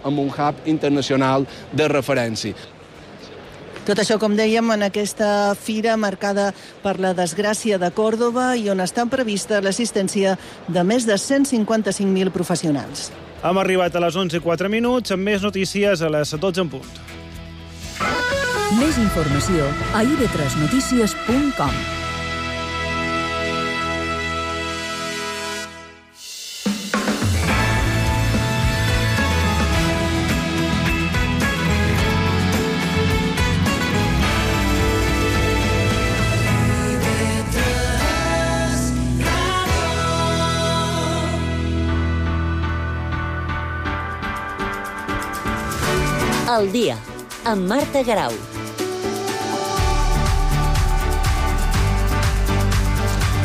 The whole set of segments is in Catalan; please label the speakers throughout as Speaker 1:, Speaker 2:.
Speaker 1: amb un hub internacional de referència.
Speaker 2: Tot això, com dèiem, en aquesta fira marcada per la desgràcia de Còrdova i on està prevista l'assistència de més de 155.000 professionals.
Speaker 3: Hem arribat a les 11:04, amb més notícies a les 12 en punt.
Speaker 4: Més informació a ib3notícies.com.
Speaker 5: El dia, amb Marta Garau.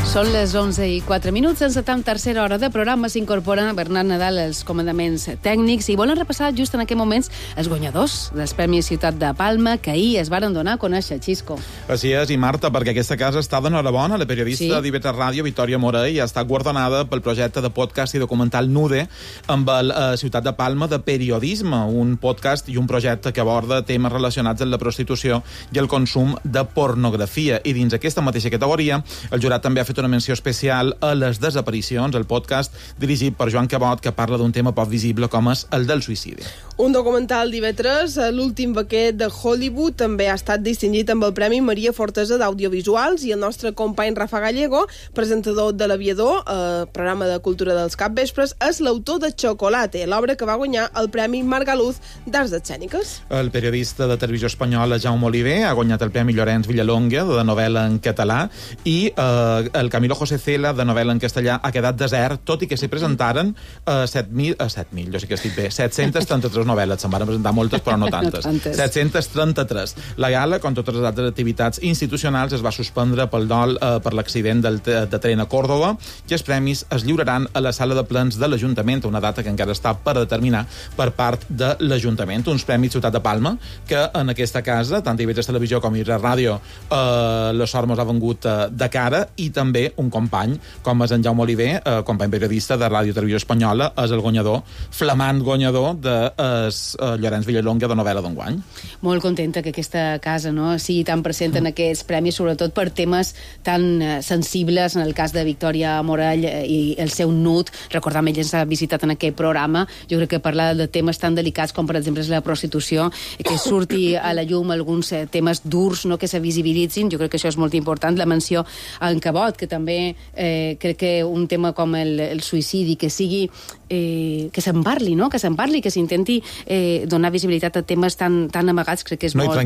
Speaker 6: Són les 11:04. En tercera hora de programa s'incorpora Bernat Nadal als comandaments tècnics i volen repassar just en aquests moments els guanyadors dels Premis Ciutat de Palma que ahir es varen donar a conèixer, Xisco.
Speaker 7: Així és, i Marta, perquè aquesta casa està d'enhorabona. La periodista d'IV3 Ràdio, Victòria Morell, ha estat guardonada pel projecte de podcast i documental Nude amb el Ciutat de Palma de periodisme, un podcast i un projecte que aborda temes relacionats amb la prostitució i el consum de pornografia. I dins aquesta mateixa categoria, el jurat també ha fet una menció especial a les desaparicions, el podcast dirigit per Joan Cabot, que parla d'un tema poc visible com és el del suïcidi.
Speaker 8: Un documental d'IV3, l'últim paquet de Hollywood, també ha estat distingit amb el Premi Maria Fortesa d'Audiovisuals, i el nostre company Rafa Gallego, presentador de l'Aviador, programa de cultura dels capvespres, és l'autor de Chocolate, l'obra que va guanyar el Premi Margaluz d'Arts Escèniques.
Speaker 7: El periodista de Televisió Espanyola Jaume Oliver ha guanyat el Premi Llorenç Villalonga de novel·la en català i el Camilo José Cela de novel·la en castellà ha quedat desert, tot i que s'hi presentaren 733 novel·les, se'n van presentar moltes però no tantes. 733. La gala, com totes les altres activitats institucionals, es va suspendre pel dol per l'accident de tren a Còrdova i els premis es lliuraran a la sala de plens de l'Ajuntament, una data que encara està per determinar per part de l'Ajuntament. Uns premis Ciutat de Palma que en aquesta casa, tant IB3 Televisió com IB3 Ràdio, la sort mos ha vengut de cara, i també un company, com és en Jaume Oliver, company periodista de Ràdio Televisió Espanyola, és el guanyador, flamant guanyador de Llorenç Villalonga de novel·la d'enguany.
Speaker 6: Molt contenta que aquesta casa sigui tan present en aquests premis, sobretot per temes tan sensibles, en el cas de Victòria Morell i el seu nut. Recordam, ell ens ha visitat en aquest programa. Jo crec que parlar de temes tan delicats com, per exemple, la prostitució, que surti a la llum alguns temes durs, que se visibilitzin, jo crec que això és molt important. La menció a en Cabot, que també crec que un tema com el suïcidi, que sigui que se'n parli, que s'intenti donar visibilitat a temes tan amagats, crec que és molt important.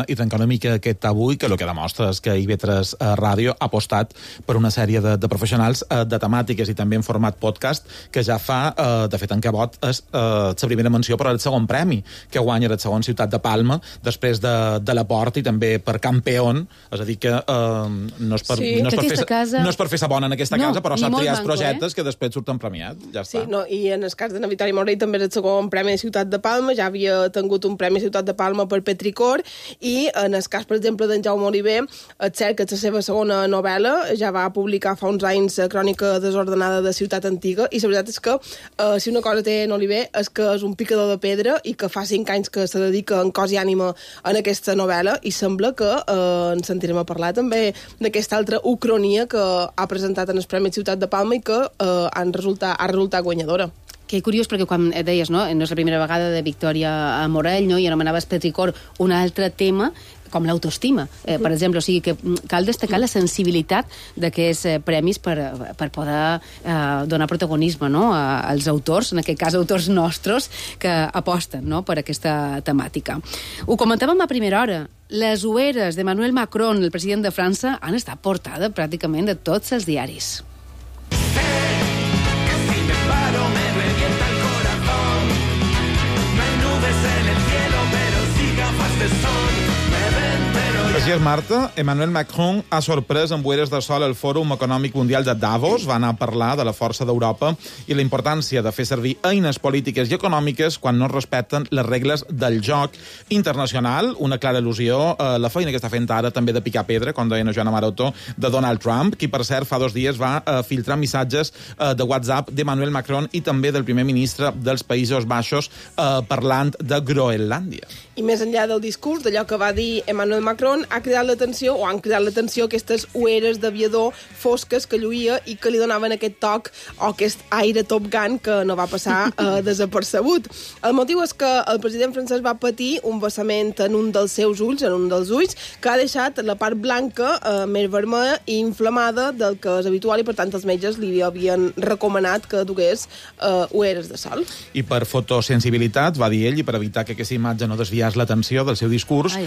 Speaker 7: I trencar una mica aquest tabú, que el que demostra és que IB3 Ràdio ha apostat per una sèrie de professionals de temàtiques i també en format podcast, que ja fa, de fet en Cabot és la primera menció per al segon premi, que guanya el segon Ciutat de Palma, després de la Porta i també per Campeón, és a dir que no és per fer sa bona en aquesta casa, però sap triar els projectes que després surten premiats, ja està.
Speaker 8: Sí, i en el cas de Victòria Morell també és el segon Premi de Ciutat de Palma, ja havia tingut un Premi Ciutat de Palma per Petricor, i en el cas, per exemple, d'en Jaume Oliver, és cert que és la seva segona novel·la, ja va publicar fa uns anys Crònica desordenada de Ciutat Antiga, i la veritat és que si una cosa té en Oliver és que és un picador de pedra i que fa 5 anys que se dedica en cos i ànima en aquesta novel·la, i sembla que en sentirem a parlar també d'aquesta altra ucronia que ha presentat en el Premi Ciutat de Palma i que ha resultat guanyadora.
Speaker 6: Que curiós, perquè quan deies, no és la primera vegada de Victòria Morell, i anomenaves Petricor un altre tema, com l'autoestima, per exemple. O sigui que cal destacar la sensibilitat d'aquests premis per poder donar protagonisme als autors, en aquest cas autors nostres, que aposten per aquesta temàtica. Ho comentàvem a primera hora. Les ueres de Emmanuel Macron, el president de França, han estat portada pràcticament de tots els diaris.
Speaker 7: Així és, Marta. Emmanuel Macron ha sorprès amb boires de sol el Fòrum Econòmic Mundial de Davos. Va anar a parlar de la força d'Europa i la importància de fer servir eines polítiques i econòmiques quan no es respecten les regles del joc internacional. Una clara al·lusió a la feina que està fent ara també de picar pedra, com deia Joana Maroto, de Donald Trump, qui, per cert, fa 2 dies va filtrar missatges de WhatsApp d'Emmanuel Macron i també del primer ministre dels Països Baixos parlant de Groenlàndia.
Speaker 8: I més enllà del discurs, d'allò que va dir Emmanuel Macron, han cridat l'atenció aquestes ueres d'aviador fosques que lluïa i que li donaven aquest toc o aquest aire Top Gun que no va passar desapercebut. El motiu és que el president francès va patir un vessament en un dels seus ulls, en un dels ulls, que ha deixat la part blanca més vermella i inflamada del que és habitual i, per tant, els metges li havien recomanat que dugués ueres de sol.
Speaker 7: I per fotosensibilitat, va dir ell, i per evitar que aquesta imatge no desviés l'atenció del seu discurs,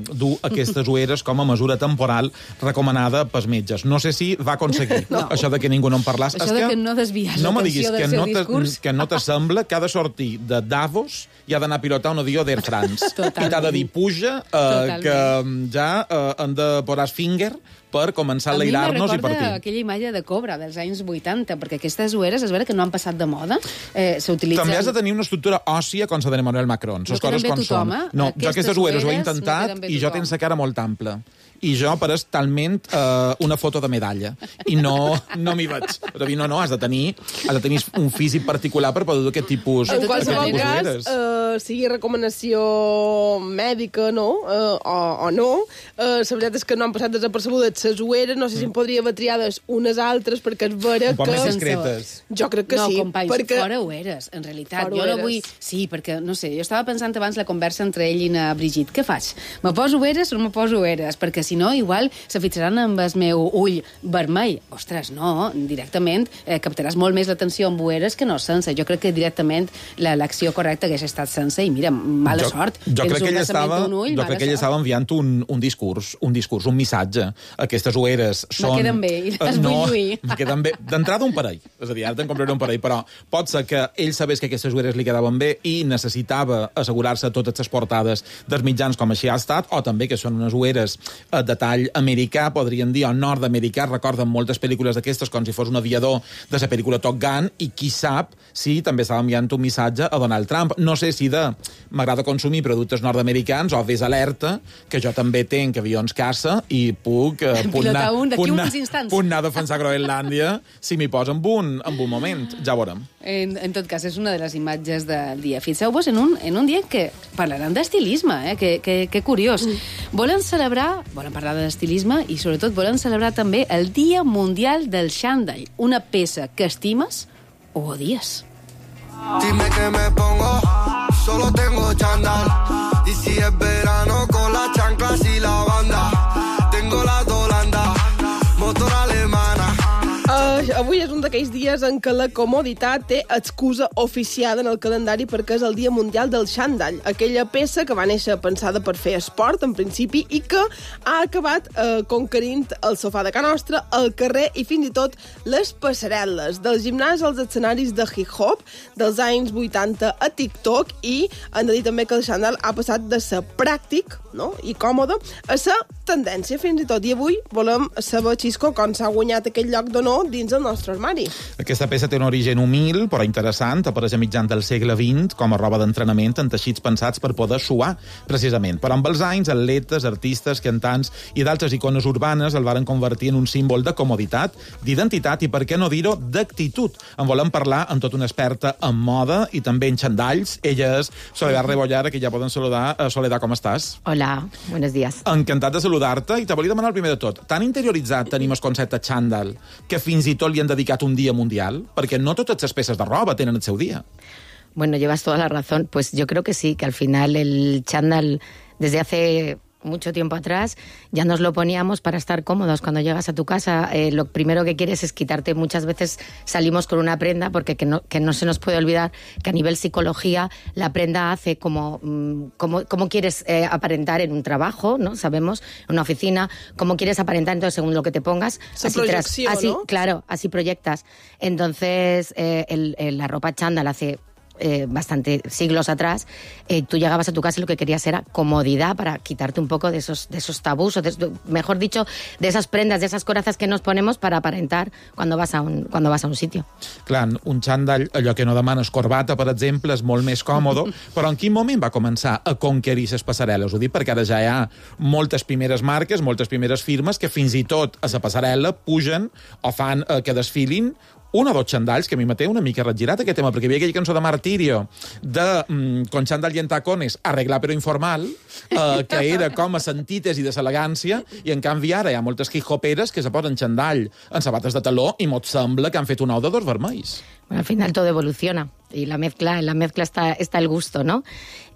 Speaker 7: dur aquestes ueres com a mesura temporal recomanada pels metges. No sé si va aconseguir això de que ningú no en parlés.
Speaker 6: Això de que no desvies l'atenció del seu discurs.
Speaker 7: Que no t'assembla que ha de sortir de Davos i ha d'anar a pilotar un avió d'Air France. I t'ha de dir puja, que ja han de posar finger per començar a enlairar-nos i partir.
Speaker 6: A mi me recorda aquella imatge de Cobra dels anys 80, perquè aquestes ueres és vera que no han passat de moda. S'utilitzen...
Speaker 7: També has de tenir una estructura òssia com la d'Emmanuel Macron.
Speaker 6: No queden bé tothom, eh?
Speaker 7: No, jo aquestes ueres ho he intentat i jo tens la cara molt ampla. I jo pareix talment una foto de medalla. I no m'hi veig. És a dir, no, has de tenir un físic particular per poder dur aquest tipus
Speaker 8: en qualsevol
Speaker 7: cas,
Speaker 8: sigui recomanació mèdica, no? O no. La veritat és que no han passat desapercebudes les ueres, no sé si en podria haver triades unes altres, perquè és vera
Speaker 7: un poc més discretes.
Speaker 8: Jo crec que sí.
Speaker 6: No, companys, fora ueres, en realitat. Jo no vull... Sí, perquè, no sé, jo estava pensant abans la conversa entre ell i na Brigitte. Què faig? Me poso ueres o no me poso ueres? Perquè si no, igual se fixaran amb el meu ull vermell. Ostres, no, directament captaràs molt més l'atenció amb ueres que no sense. Jo crec que directament l'acció correcta hagués estat sense i mira, mala sort.
Speaker 7: Jo crec que ell estava enviant un discurs, un missatge. Aquestes ueres són...
Speaker 6: Me queden bé, i les vull lluir.
Speaker 7: Me queden bé. D'entrada un parell. És a dir, ara te'n compraré un parell, però pot ser que ell sabés que aquestes ueres li quedaven bé i necessitava assegurar-se totes les portades dels mitjans com així ha estat, o també que són unes ueres de tall americà, podríem dir, o nord-americà. Recorden moltes pel·lícules d'aquestes com si fos un aviador de la pel·lícula Top Gun, i qui sap si també estava enviant un missatge a Donald Trump. No sé si m'agrada consumir productes nord-americans o ves alerta, que jo també tenc avions caça i puc anar a defensar Groenlàndia si m'hi posa en un moment. Ja veurem.
Speaker 6: En tot cas, és una de les imatges del dia. Fixeu-vos en un dia que parlaran d'estilisme, que curiós. Volen parlar d'estilisme i, sobretot, volen celebrar també el Dia Mundial del Xandall, una peça que estimes o odies.
Speaker 9: Dime que me pongo, solo tengo chándal. Y si es verano con las chanclas y la banda. Tengo la Holanda, motor alemana.
Speaker 8: Avui és un d'aquells dies en què la comoditat té excusa oficiada en el calendari perquè és el Dia Mundial del Xandall, aquella peça que va néixer pensada per fer esport, en principi, i que ha acabat conquerint el sofà de casa nostra, el carrer i fins i tot les passarel·les, del gimnàs als escenaris de hip-hop dels anys 80 a TikTok, i han de dir també que el xandall ha passat de ser pràctic, no?, i còmode a ser tendència fins i tot. I avui volem saber, Xisco, com s'ha guanyat aquest lloc d'honor dins el nostre armari.
Speaker 7: Aquesta peça té un origen humil, però interessant. Apareix a mitjans del segle XX com a roba d'entrenament en teixits pensats per poder suar, precisament. Però amb els anys, atletes, artistes, cantants i d'altres icones urbanes el varen convertir en un símbol de comoditat, d'identitat i, per què no dir-ho, d'actitud. En volem parlar amb tota una experta en moda i també en xandalls. Ella és Soledad Rebollar, que ja poden saludar. Soledad, com estàs?
Speaker 10: Hola, buenos días.
Speaker 7: Encantat de saludar-te, i te volia demanar el primer de tot. Tan interioritzat tenim el concepte xandall que fins i tot li han dedicat un dia mundial? Perquè no totes les peces de roba tenen el seu dia.
Speaker 10: Bueno, llevas toda la razón. Pues yo creo que sí, que al final el chándal, desde hace mucho tiempo atrás, ya nos lo poníamos para estar cómodos. Cuando llegas a tu casa, lo primero que quieres es quitarte. Muchas veces salimos con una prenda, porque que no se nos puede olvidar que a nivel psicología la prenda hace como quieres aparentar en un trabajo, ¿no? Sabemos, en una oficina, cómo quieres aparentar, entonces según lo que te pongas,
Speaker 8: así,
Speaker 10: ¿no? Claro, así proyectas. Entonces, la ropa chándal hace bastante siglos atrás, tú llegabas a tu casa y lo que querías era comodidad para quitarte un poco de esos tabús, o mejor dicho, de esas prendas, de esas corazas que nos ponemos para aparentar cuando vas a un sitio.
Speaker 7: Clar, un xandall, allò que no demanes corbata, per exemple, és molt més còmode, però en quin moment va començar a conquerir les passarel·les? Ho dic perquè ara ja hi ha moltes primeres marques, moltes primeres firmes que fins i tot a la passarel·la pugen o fan que desfilin un o dos xandalls, que a mi m'ha una mica regirat aquest tema, perquè hi havia aquella cançó de Martirio de con xandall y en tacones, arreglar però informal, que era com a l'antítesi de l'elegància, i en canvi ara hi ha moltes hip-hoperes que se posen xandall en sabates de taló i mos sembla que han fet un ou de dos vermells.
Speaker 10: Bueno, al final todo evoluciona y en la mezcla está el gusto, ¿no?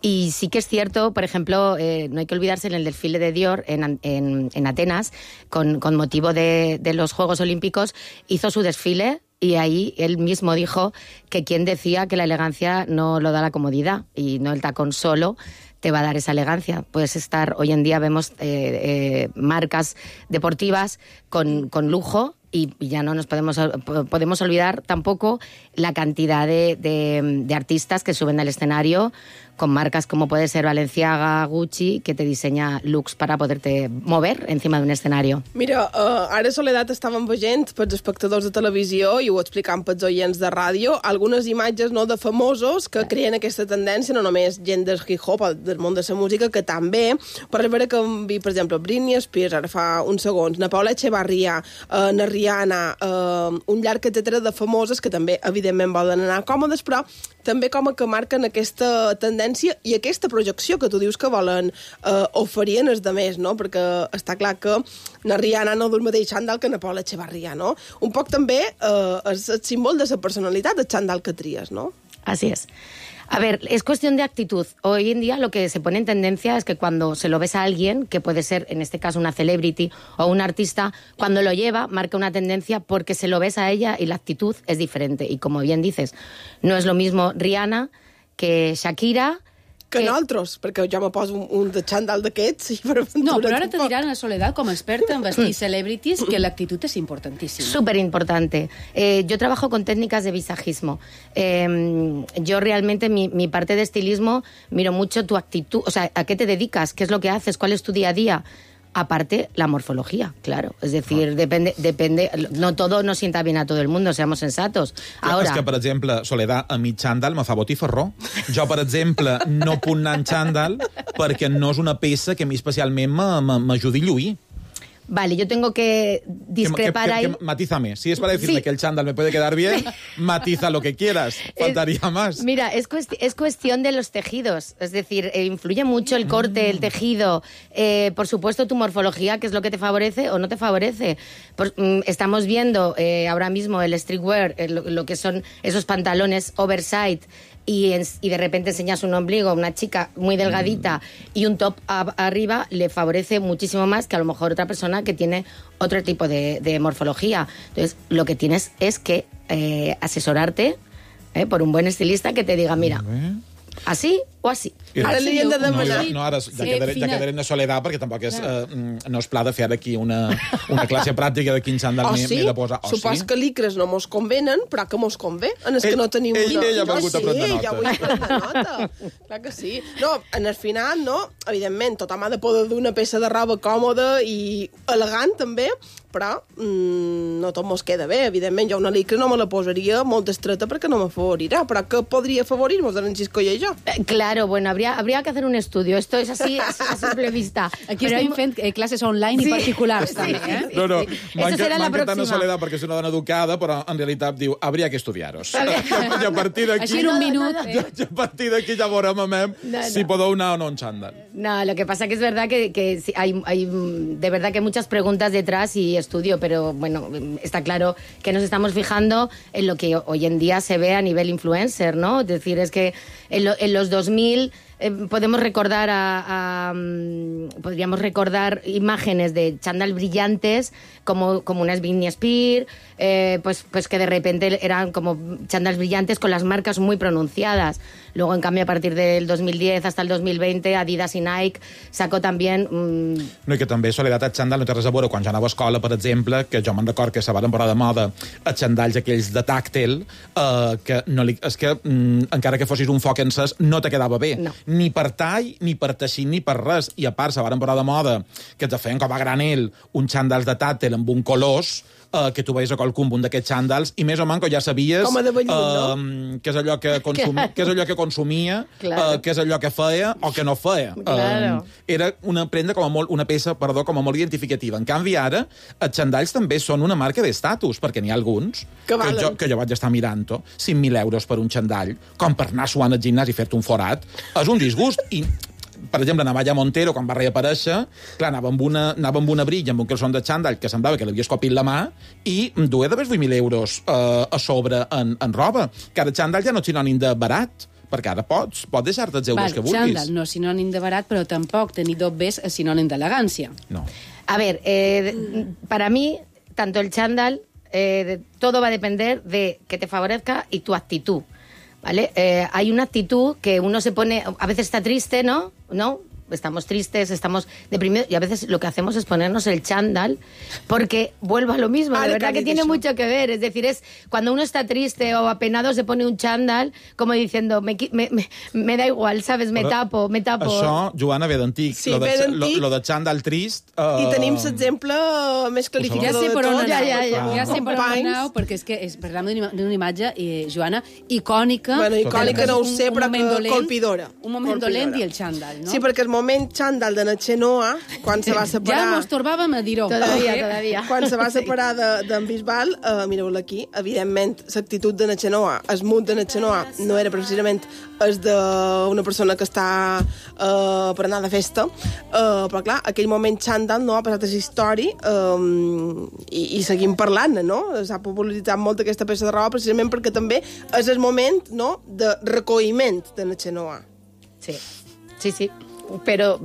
Speaker 10: Y sí que es cierto, por ejemplo, no hay que olvidarse en el desfile de Dior en Atenas, con motivo de los Juegos Olímpicos, hizo su desfile y ahí él mismo dijo que quien decía que la elegancia no lo da la comodidad y no el tacón solo te va a dar esa elegancia. Puedes estar, hoy en día vemos marcas deportivas con lujo, y ya no nos podemos olvidar tampoco la cantidad de artistas que suben al escenario con marcas como puede ser Balenciaga, Gucci, que te diseña looks para poderte mover encima d'un escenari.
Speaker 8: Mira, ara Soledat estàvem veient pels espectadors de televisió i ho explicant pels oients de ràdio, algunes imatges de famosos que creen aquesta tendència, no només gent del hip-hop, del món de la música, que també, per veure que vi, per exemple, Britney Spears, ara fa uns segons, na Paula Echevarría, na Rihanna, un llarg etcètera de famoses que també, evidentment, volen anar còmodes, però també com que marquen aquesta tendència i aquesta projecció que tu dius que volen oferir en els demés, no? Perquè està clar que na Rihanna no du el mateix xandall que na Paula Echevarría, no? Un poc també és el símbol de la personalitat, el xandall que tries, no?
Speaker 10: Así es. A ver, es cuestión de actitud. Hoy en día lo que se pone en tendencia es que cuando se lo ves a alguien, que puede ser en este caso una celebrity o un artista, cuando lo lleva marca una tendencia porque se lo ves a ella y la actitud es diferente. Y como bien dices, no es lo mismo Rihanna que Shakira,
Speaker 8: que nosaltres, perquè jo me poso un de xandall d'aquests.
Speaker 6: No, però ara te diran a Soledat, com a experta en vestir celebrities, que l'actitud és importantíssima.
Speaker 10: Súper importante. Yo trabajo con técnicas de visajismo. Yo realmente, mi parte de estilismo, miro mucho tu actitud, o sea, a qué te dedicas, qué es lo que haces, cuál es tu día a día. Aparte, la morfología, claro. Es decir, depende, no todo nos sienta bien a todo el mundo, seamos sensatos. Ahora...
Speaker 7: És que, per exemple, Soledat, a mi xandall me fa botifarró. Jo, per exemple, no puc anar en xandall perquè no és una peça que a mi especialment m'ajudi a lluir.
Speaker 10: Vale, yo tengo que discrepar ahí.
Speaker 7: Matízame. Si es para decirme que el chándal me puede quedar bien, matiza lo que quieras. Faltaría más.
Speaker 10: Mira, es cuestión de los tejidos. Es decir, influye mucho el corte, el tejido. Por supuesto, tu morfología, que es lo que te favorece o no te favorece. Estamos viendo ahora mismo el streetwear, lo que son esos pantalones oversize, y de repente enseñas un ombligo a una chica muy delgadita y un top arriba, le favorece muchísimo más que a lo mejor otra persona que tiene otro tipo de morfología. Entonces, lo que tienes es que asesorarte por un buen estilista que te diga, mira, así o así.
Speaker 8: Ara li hem de demanar...
Speaker 7: No, ara ja quedarem de Soledat, perquè tampoc no és pla de fer aquí una classe pràctica de quin xandall m'he de posar.
Speaker 8: Supos que licres no mos convenen, però que mos convé. En els que no tenim...
Speaker 7: Ella ha volgut a prendre nota.
Speaker 8: Ja vull prendre nota. Clar que sí. No, en el final, no, evidentment, tothom ha de poder dur una peça de roba còmoda i elegant, també, però no tot mos queda bé. Evidentment, jo una licra no me la posaria molt estreta perquè no m'afavorirà, però que podria afavorir-nos en Xisco i jo?
Speaker 10: Claro, bueno, habría que hacer un estudio. Esto es así a simple vista.
Speaker 6: Aquí estem fent classes online i particulars, també.
Speaker 7: No, m'encanta tant a Soledat perquè és una dona educada, però en realitat diu, habría que estudiaros. I a partir d'aquí...
Speaker 6: Així en un minut.
Speaker 7: A partir d'aquí ja veurem si podeu anar o no en chándal.
Speaker 10: No, lo que pasa que es verdad que hay de verdad que muchas preguntas detrás y estudio, pero bueno, está claro que nos estamos fijando en lo que hoy en día se ve a nivel influencer, ¿no? Es decir, es que en los 2000 podríamos recordar imágenes de chándal brillantes como unas Britney Spears, pues que de repente eran como chándals brillantes con las marcas muy pronunciadas. Luego, en cambio, a partir del 2010 hasta el 2020, Adidas i Nike sacó també...
Speaker 7: No, i que també Soledat el xandall no té res a veure. Quan jo anava a escola, per exemple, que jo me'n record que se van posar de moda els xandalls aquells de tàctil, que encara que fossis un foc encès, no te quedava bé.
Speaker 10: No.
Speaker 7: Ni per tall, ni per teixir, ni per res. I a part, se van posar de moda que te feien com a granel uns xandalls de tàctil amb un colors, que tu veies a qualcun un d'aquests xandals i més o menys ja sabies què és allò que consumia, què és allò que feia o que no feia. Era una prenda una peça com a molt identificativa. En canvi, ara, els xandalls també són una marca d'estatus, perquè n'hi ha alguns que jo vaig estar mirant-ho, 5.000 euros per un xandall, com per anar suant al gimnàs i fer-te un forat, és un disgust. I per exemple, Navalla Montero, quan va reaparèixer, clar, anava amb una brilla, amb un calçon de xandall, que semblava que l'havia escopit la mà, i duia d'haver 8.000 euros a sobre en roba. Que ara xandall ja no és sinònim de barat, perquè ara pots deixar-te els euros que vulguis.
Speaker 6: Xandall no és sinònim de barat, però tampoc tenir dobbes és sinònim d'elegància.
Speaker 7: No.
Speaker 10: A ver, para mí, tanto el chándal, todo va a depender de que te favorezca y tu actitud. ¿Vale? Hay una actitud que uno se pone... A veces está triste, ¿no? Estamos tristes, estamos deprimidos, y a veces lo que hacemos es ponernos el chándal, porque vuelvo a lo mismo, de verdad que tiene mucho que ver. Es decir, es cuando uno está triste o apenado se pone un chándal como diciendo, me da igual, ¿sabes? Me tapo.
Speaker 7: Això, Joana, ve d'antic.
Speaker 8: Sí,
Speaker 7: lo de chándal trist...
Speaker 8: I tenim l'exemple més clarificador de tot.
Speaker 6: Ja sé per on aneu, perquè és que parlem d'una imatge, Joana, icònica.
Speaker 8: Bueno, icònica no ho sé, però colpidora.
Speaker 6: Un moment dolent i el chándal, no?
Speaker 8: Sí, perquè el moment xandall de Natxenoa, quan se va separar...
Speaker 6: Ja mos torbàvem a dir-ho.
Speaker 10: Todavía.
Speaker 8: Quan se va separar d'en Bisbal, mireu-la aquí, evidentment, l'actitud de Natxenoa, el mood de Natxenoa, no era precisament el d'una persona que està per anar de festa, però clar, aquell moment xandall no ha passat a la història i seguim parlant, no? S'ha popularitzat molt aquesta peça de roba precisament perquè també és el moment, no?, de recolliment de Natxenoa.
Speaker 10: Sí. Pero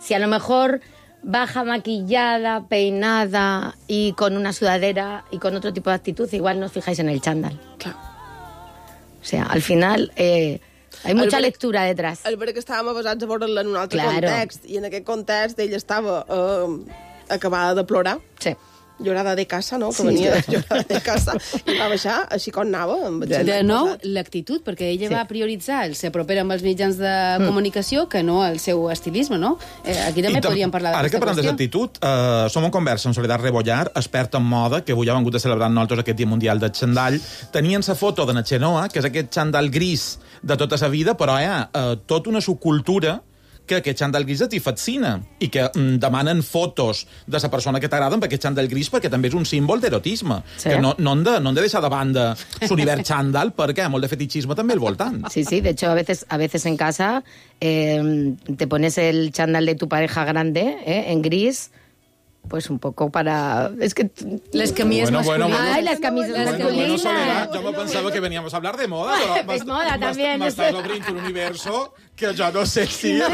Speaker 10: si a lo mejor baja maquillada, peinada y con una sudadera y con otro tipo de actitud, igual no os fijáis en el chándal.
Speaker 8: Claro.
Speaker 10: O sea, al final hay mucha lectura detrás.
Speaker 8: El que estàvem basats a veure-la en un altre context, i en aquest context ella estava acabada de plorar.
Speaker 10: Sí.
Speaker 8: Llorada de casa, no? Que venia llorada de casa i va baixar així com anava.
Speaker 6: De nou, l'actitud, perquè ella va prioritzar el ser propera amb els mitjans de comunicació que no el seu estilisme, no? Aquí també podríem parlar d'aquesta qüestió.
Speaker 7: Ara que parlem d'actitud, som en conversa amb Soledat Rebollar, experta en moda, que avui ha vengut a celebrar nosaltres aquest Dia Mundial del Xandall. Tenien la foto de Natxenoa, que és aquest xandall gris de tota sa vida, però hi ha tota una subcultura que aquest xandall gris t'hi fascina i que demanen fotos de la persona que t'agrada amb aquest xandall gris perquè també és un símbol d'erotisme. Sí. Que no han de deixar de banda l'univers xandall perquè hi ha molt de fetichisme també al voltant.
Speaker 10: Sí, de hecho a veces en casa te pones el chándal de tu pareja grande en gris, pues un poco para... Es que...
Speaker 6: Les camisas masculinas.
Speaker 10: Ay, las camisas masculinas.
Speaker 7: Soledad, yo me pensaba que veníamos a hablar de moda, pero
Speaker 10: es moda también.
Speaker 7: M'estàs obrint un universo que jo no sé si... Jo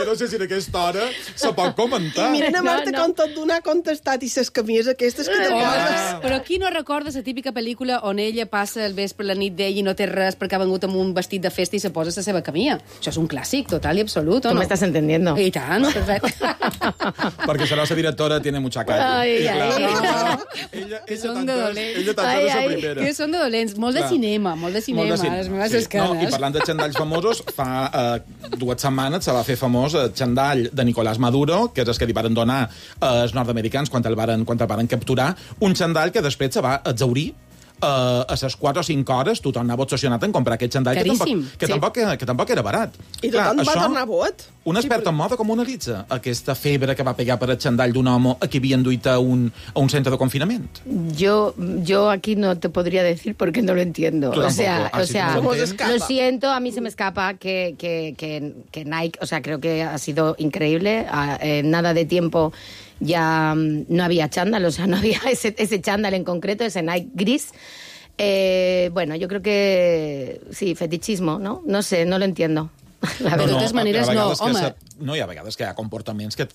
Speaker 7: no sé si en aquesta hora se pot comentar.
Speaker 8: I miren a Marta com tot d'una ha contestat i ses camises aquestes que te poses.
Speaker 6: Però qui no recorda la típica pel·lícula on ella passa el vespre la nit d'ell i no té res perquè ha vengut amb un vestit de festa i se posa la seva camisa? Això és un clàssic total i absolut, o no?
Speaker 10: Tu m'estàs entendiendo.
Speaker 6: I tant, perfecte.
Speaker 7: Perquè serà la directora tiene mucha calle.
Speaker 6: Ella són de dolents. Que són de dolents. Molt de cinema, les meves escanes.
Speaker 7: I parlant de xandalls famosos, fa 2 setmanes se va fer famós el xandall de Nicolás Maduro, que és el que li van donar els nord-americans quan el van capturar, un xandall que després se va exhaurir a les 4 o 5 hores tothom anava obsessionat en comprar aquest xandall que tampoc era barat.
Speaker 8: I tothom va tornar bot.
Speaker 7: Un expert en moda com analitza aquesta febre que va pegar per el xandall d'un home a qui havien duit a un centre de confinament?
Speaker 10: Yo aquí no te podría decir porque no lo entiendo. O sea, lo siento, a mí se me escapa que Nike, o sea, creo que ha sido increíble. En nada de tiempo ya no había chándal, o sea, no había ese chándal en concreto, ese Nike gris. Bueno, yo creo que sí, fetichismo, ¿no? No sé, no lo entiendo.
Speaker 6: Però de totes maneres no, home...
Speaker 7: No, hi ha vegades que hi ha comportaments que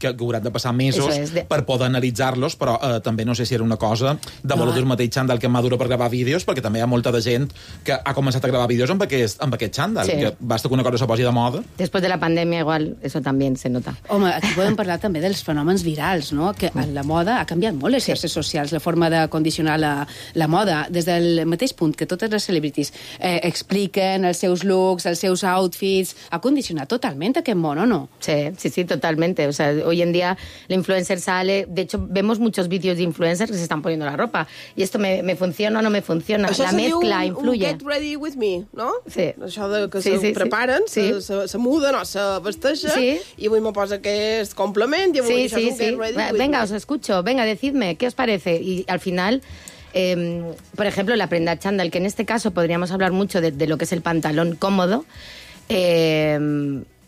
Speaker 7: hauran de passar mesos per poder analitzar-los, però també no sé si era una cosa de voler dur mateix xandall que madura per gravar vídeos, perquè també hi ha molta de gent que ha començat a gravar vídeos amb aquest xandall, que basta que una cosa se posi de moda.
Speaker 10: Después de la pandemia igual eso también se nota.
Speaker 6: Home, aquí podem parlar també dels fenòmens virals, no? Que la moda ha canviat molt les xarxes socials, la forma de condicionar la moda, des del mateix punt que totes les celebrities expliquen els seus looks, els seus outfits, ha condicionat totalment aquest món, o no?
Speaker 10: Sí, totalmente. O sea, hoy en día la influencer sale... De hecho, vemos muchos vídeos de influencers que se están poniendo la ropa. Y esto me funciona o no me funciona.
Speaker 8: Això
Speaker 10: la mezcla influye.
Speaker 8: Get ready with me, no?
Speaker 10: Sí.
Speaker 8: Això de que se preparen, se muden o se vesteixen, y avui me posa aquest complement, y avui això és un get ready with me.
Speaker 10: Venga, os escucho. Venga, decidme, ¿qué os parece? Y al final... por ejemplo, la prenda chándal, que en este caso podríamos hablar mucho de lo que es el pantalón cómodo,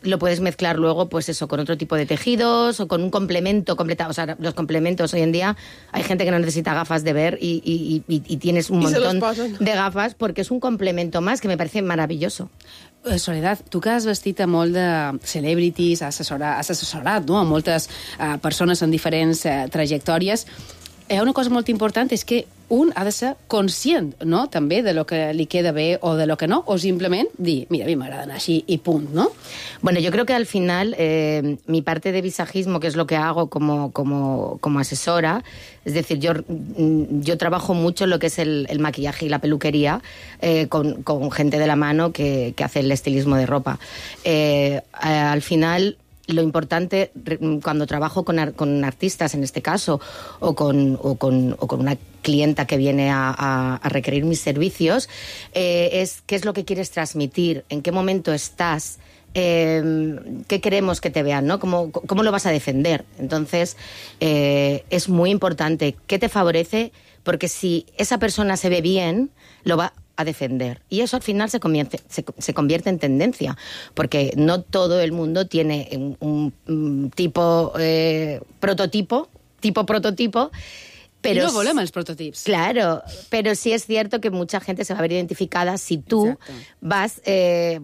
Speaker 10: lo puedes mezclar luego, pues eso, con otro tipo de tejidos o con un complemento completado. O sea, los complementos hoy en día, hay gente que no necesita gafas de ver y tienes un montón de gafas porque es un complemento más que me parece maravilloso.
Speaker 6: Soledad, tu que has vestit a molt de celebrities, has assessorat no? A moltes persones en diferents trajectòries, hi ha una cosa molt important, és que un ha de ser conscient, no?, també de lo que li queda bé o de lo que no, o simplement dir, mira, a mi m'agrada anar així i punt, ¿no?
Speaker 10: Bueno, yo creo que al final mi parte de visajismo, que es lo que hago como asesora, es decir, yo trabajo mucho en lo que es el maquillaje y la peluquería con gente de la mano que hace el estilismo de ropa. Al final... Lo importante cuando trabajo con artistas, en este caso, o con una clienta que viene a requerir mis servicios, es qué es lo que quieres transmitir, en qué momento estás, qué queremos que te vean, ¿no? ¿Cómo lo vas a defender? Entonces, es muy importante qué te favorece, porque si esa persona se ve bien, lo va a defender. Y eso al final se convierte en tendencia, porque no todo el mundo tiene un tipo prototipo, pero
Speaker 6: no volem els prototips.
Speaker 10: Claro, pero sí es cierto que mucha gente se va a ver identificada si tú vas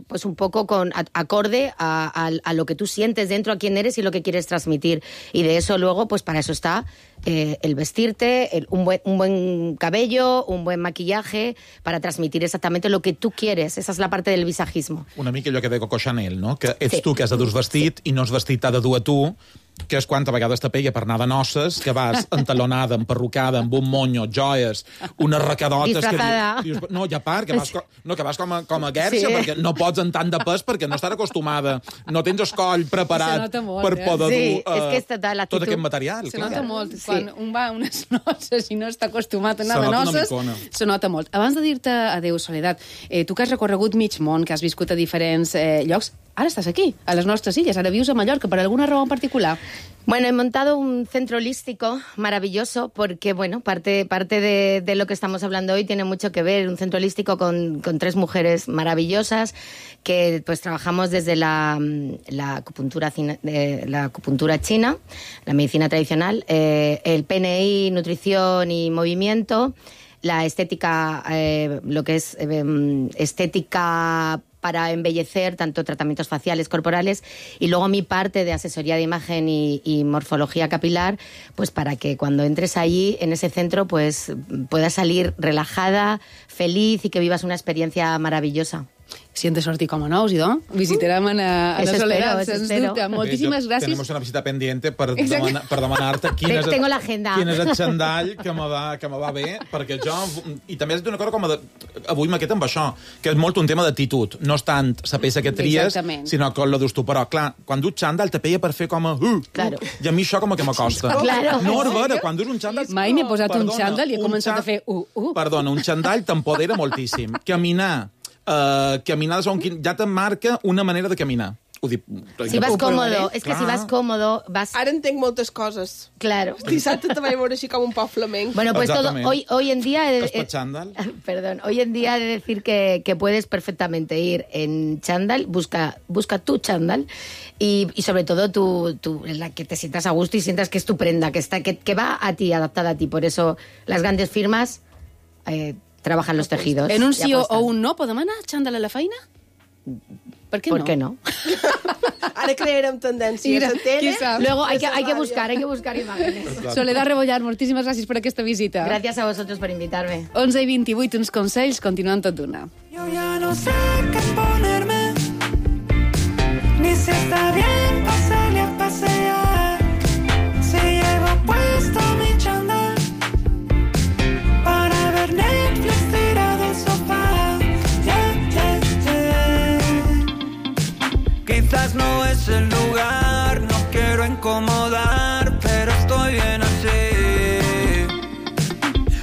Speaker 10: pues un poco acorde a lo que tú sientes dentro, a quién eres y lo que quieres transmitir. Y de eso luego, pues para eso está el vestirte, un buen cabello, un buen maquillaje, para transmitir exactamente lo que tú quieres. Esa es la parte del visajismo.
Speaker 7: Una mica allò que deia Coco Chanel, no? Que ets tu que has de dur vestit i no has vestit t'ha de dur a tu, que és quanta vegades te pega per anar de noces, que vas entalonada, emperrucada, amb un monyo, joies, unes recadotes...
Speaker 10: Disfrazada.
Speaker 7: No, i a part, que vas com a guerxa, perquè no pots en tant de pes, perquè no estàs acostumada, no tens el coll preparat per poder dur tot aquest material.
Speaker 6: Se nota molt. Quan un va a unes noces i no està acostumat a anar de noces, se nota molt. Abans de dir-te adéu, Soledad, tu que has recorregut mig món, que has viscut a diferents llocs, ara estàs aquí, a les nostres illes, ara vius a Mallorca, per alguna raó en particular?
Speaker 10: Bueno, he montado un centro holístico maravilloso porque, bueno, parte de lo que estamos hablando hoy tiene mucho que ver. Un centro holístico con 3 mujeres maravillosas que pues trabajamos desde la acupuntura china, la medicina tradicional, el PNI, nutrición y movimiento, la estética, lo que es estética para embellecer, tanto tratamientos faciales, corporales, y luego mi parte de asesoría de imagen y morfología capilar, pues para que cuando entres allí, en ese centro, pues puedas salir relajada, feliz y que vivas una experiencia maravillosa.
Speaker 6: Si hem de sortir com a nous, idò, visitarem a la Soledad, sens dubte. Moltíssimes gràcies.
Speaker 7: Tenemos una visita pendiente per demanar-te quin és el xandall que me va bé, perquè jo... I també és d'una cosa com avui m'he quedat amb això, que és molt un tema d'actitud. No és tant la peça que tries, sinó que lo dus tu. Però, clar, quan dus xandall te peia per fer com a... I a mi això com que m'acosta. No, és vera, quan dus un xandall...
Speaker 6: Mai m'he posat un xandall i he començat a fer...
Speaker 7: Perdona, un xandall t'empodera moltíssim. Caminar ja te marca una manera de caminar.
Speaker 10: Si vas cómodo, es que si vas cómodo, vas...
Speaker 8: Ara entenc moltes coses.
Speaker 10: Claro.
Speaker 8: Dissabte te vaig veure així com un poc flamenc.
Speaker 10: Bueno, pues todo, hoy en día...
Speaker 7: Perdón,
Speaker 10: hoy en día he de decir que puedes perfectamente ir en chándal, busca tu chándal y sobre todo la que te sientas a gusto y sientas que es tu prenda, que va a ti, adaptada a ti. Por eso las grandes firmas... trabajan los tejidos.
Speaker 6: En un sí o un no podem anar xandall a la feina? ¿Por qué no?
Speaker 8: Ara crearem tendències a tele.
Speaker 10: Luego hay que buscar imágenes.
Speaker 6: Soledad Rebollar, moltíssimes gràcies per aquesta visita.
Speaker 10: Gracias a vosotros por invitarme.
Speaker 6: 11:28, uns consells, continuen tot d'una.
Speaker 11: Yo ya no sé qué ponerme, ni si está bien pasarle a pasear. Si llevo puesto mi chándal para ver Netflix tirado al sofá. Quizás no es el lugar, no quiero incomodar, pero estoy bien así.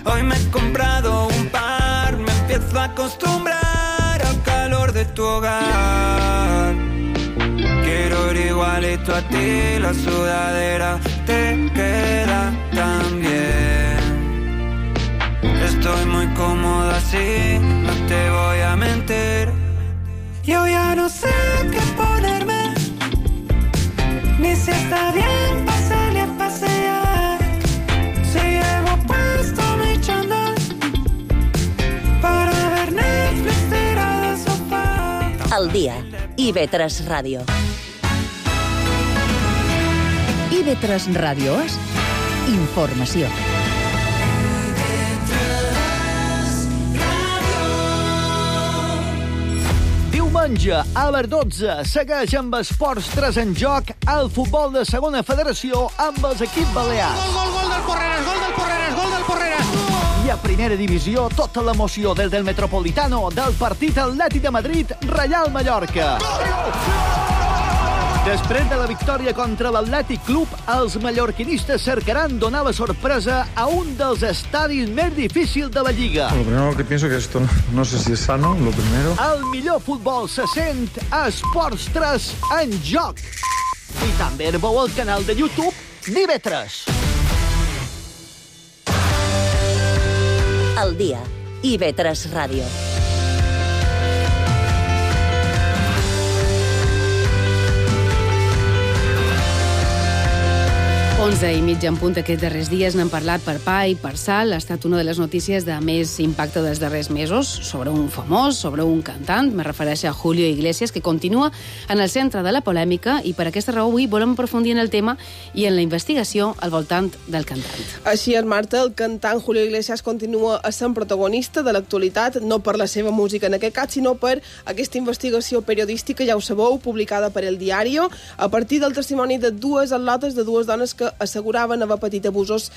Speaker 11: Hoy me he comprado un par, me empiezo a acostumbrar al calor de tu hogar. Quiero ir igualito a ti, la sudadera te queda tan bien. Estoy muy cómodo así, no te voy a mentir. Yo ya no sé qué ponerme, ni si está bien pasarle a pasear. Si llevo puesto mi chándal para ver Netflix tirado al sofá.
Speaker 5: Al dia, IB3 Ràdio.
Speaker 4: IB3 Ràdio és informació.
Speaker 12: Diumenge, a les 12, segueix amb Esports 3 en joc el futbol de segona federació amb els equips balears.
Speaker 13: Gol del Porreres!
Speaker 12: I a primera divisió, tota l'emoció des del Metropolitano del partit Atlètic de Madrid, Reial Mallorca. Després de la victòria contra l'Atlètic Club, els mallorquinistes cercaran donar la sorpresa a un dels estadis més difícils de la Lliga.
Speaker 14: Lo primero que pienso que esto no sé si es sano, lo primero.
Speaker 12: El millor futbol se sent a Esports 3 en joc. I també veu el canal de YouTube d'IB3.
Speaker 5: Al dia, IB3 Ràdio.
Speaker 6: 11:30 en punt aquests darrers dies n'han parlat per pa i per sal. Ha estat una de les notícies de més impacte dels darrers mesos sobre un famós, sobre un cantant. Me refereixo a Julio Iglesias, que continua en el centre de la polèmica i per aquesta raó avui volem aprofundir en el tema i en la investigació al voltant del cantant.
Speaker 8: Així és, Marta, el cantant Julio Iglesias continua sent protagonista de l'actualitat, no per la seva música en aquest cas, sinó per aquesta investigació periodística, ja ho sabeu, publicada per El Diario, a partir del testimoni de dues atletes, de dues dones que asseguraven haver patit abusos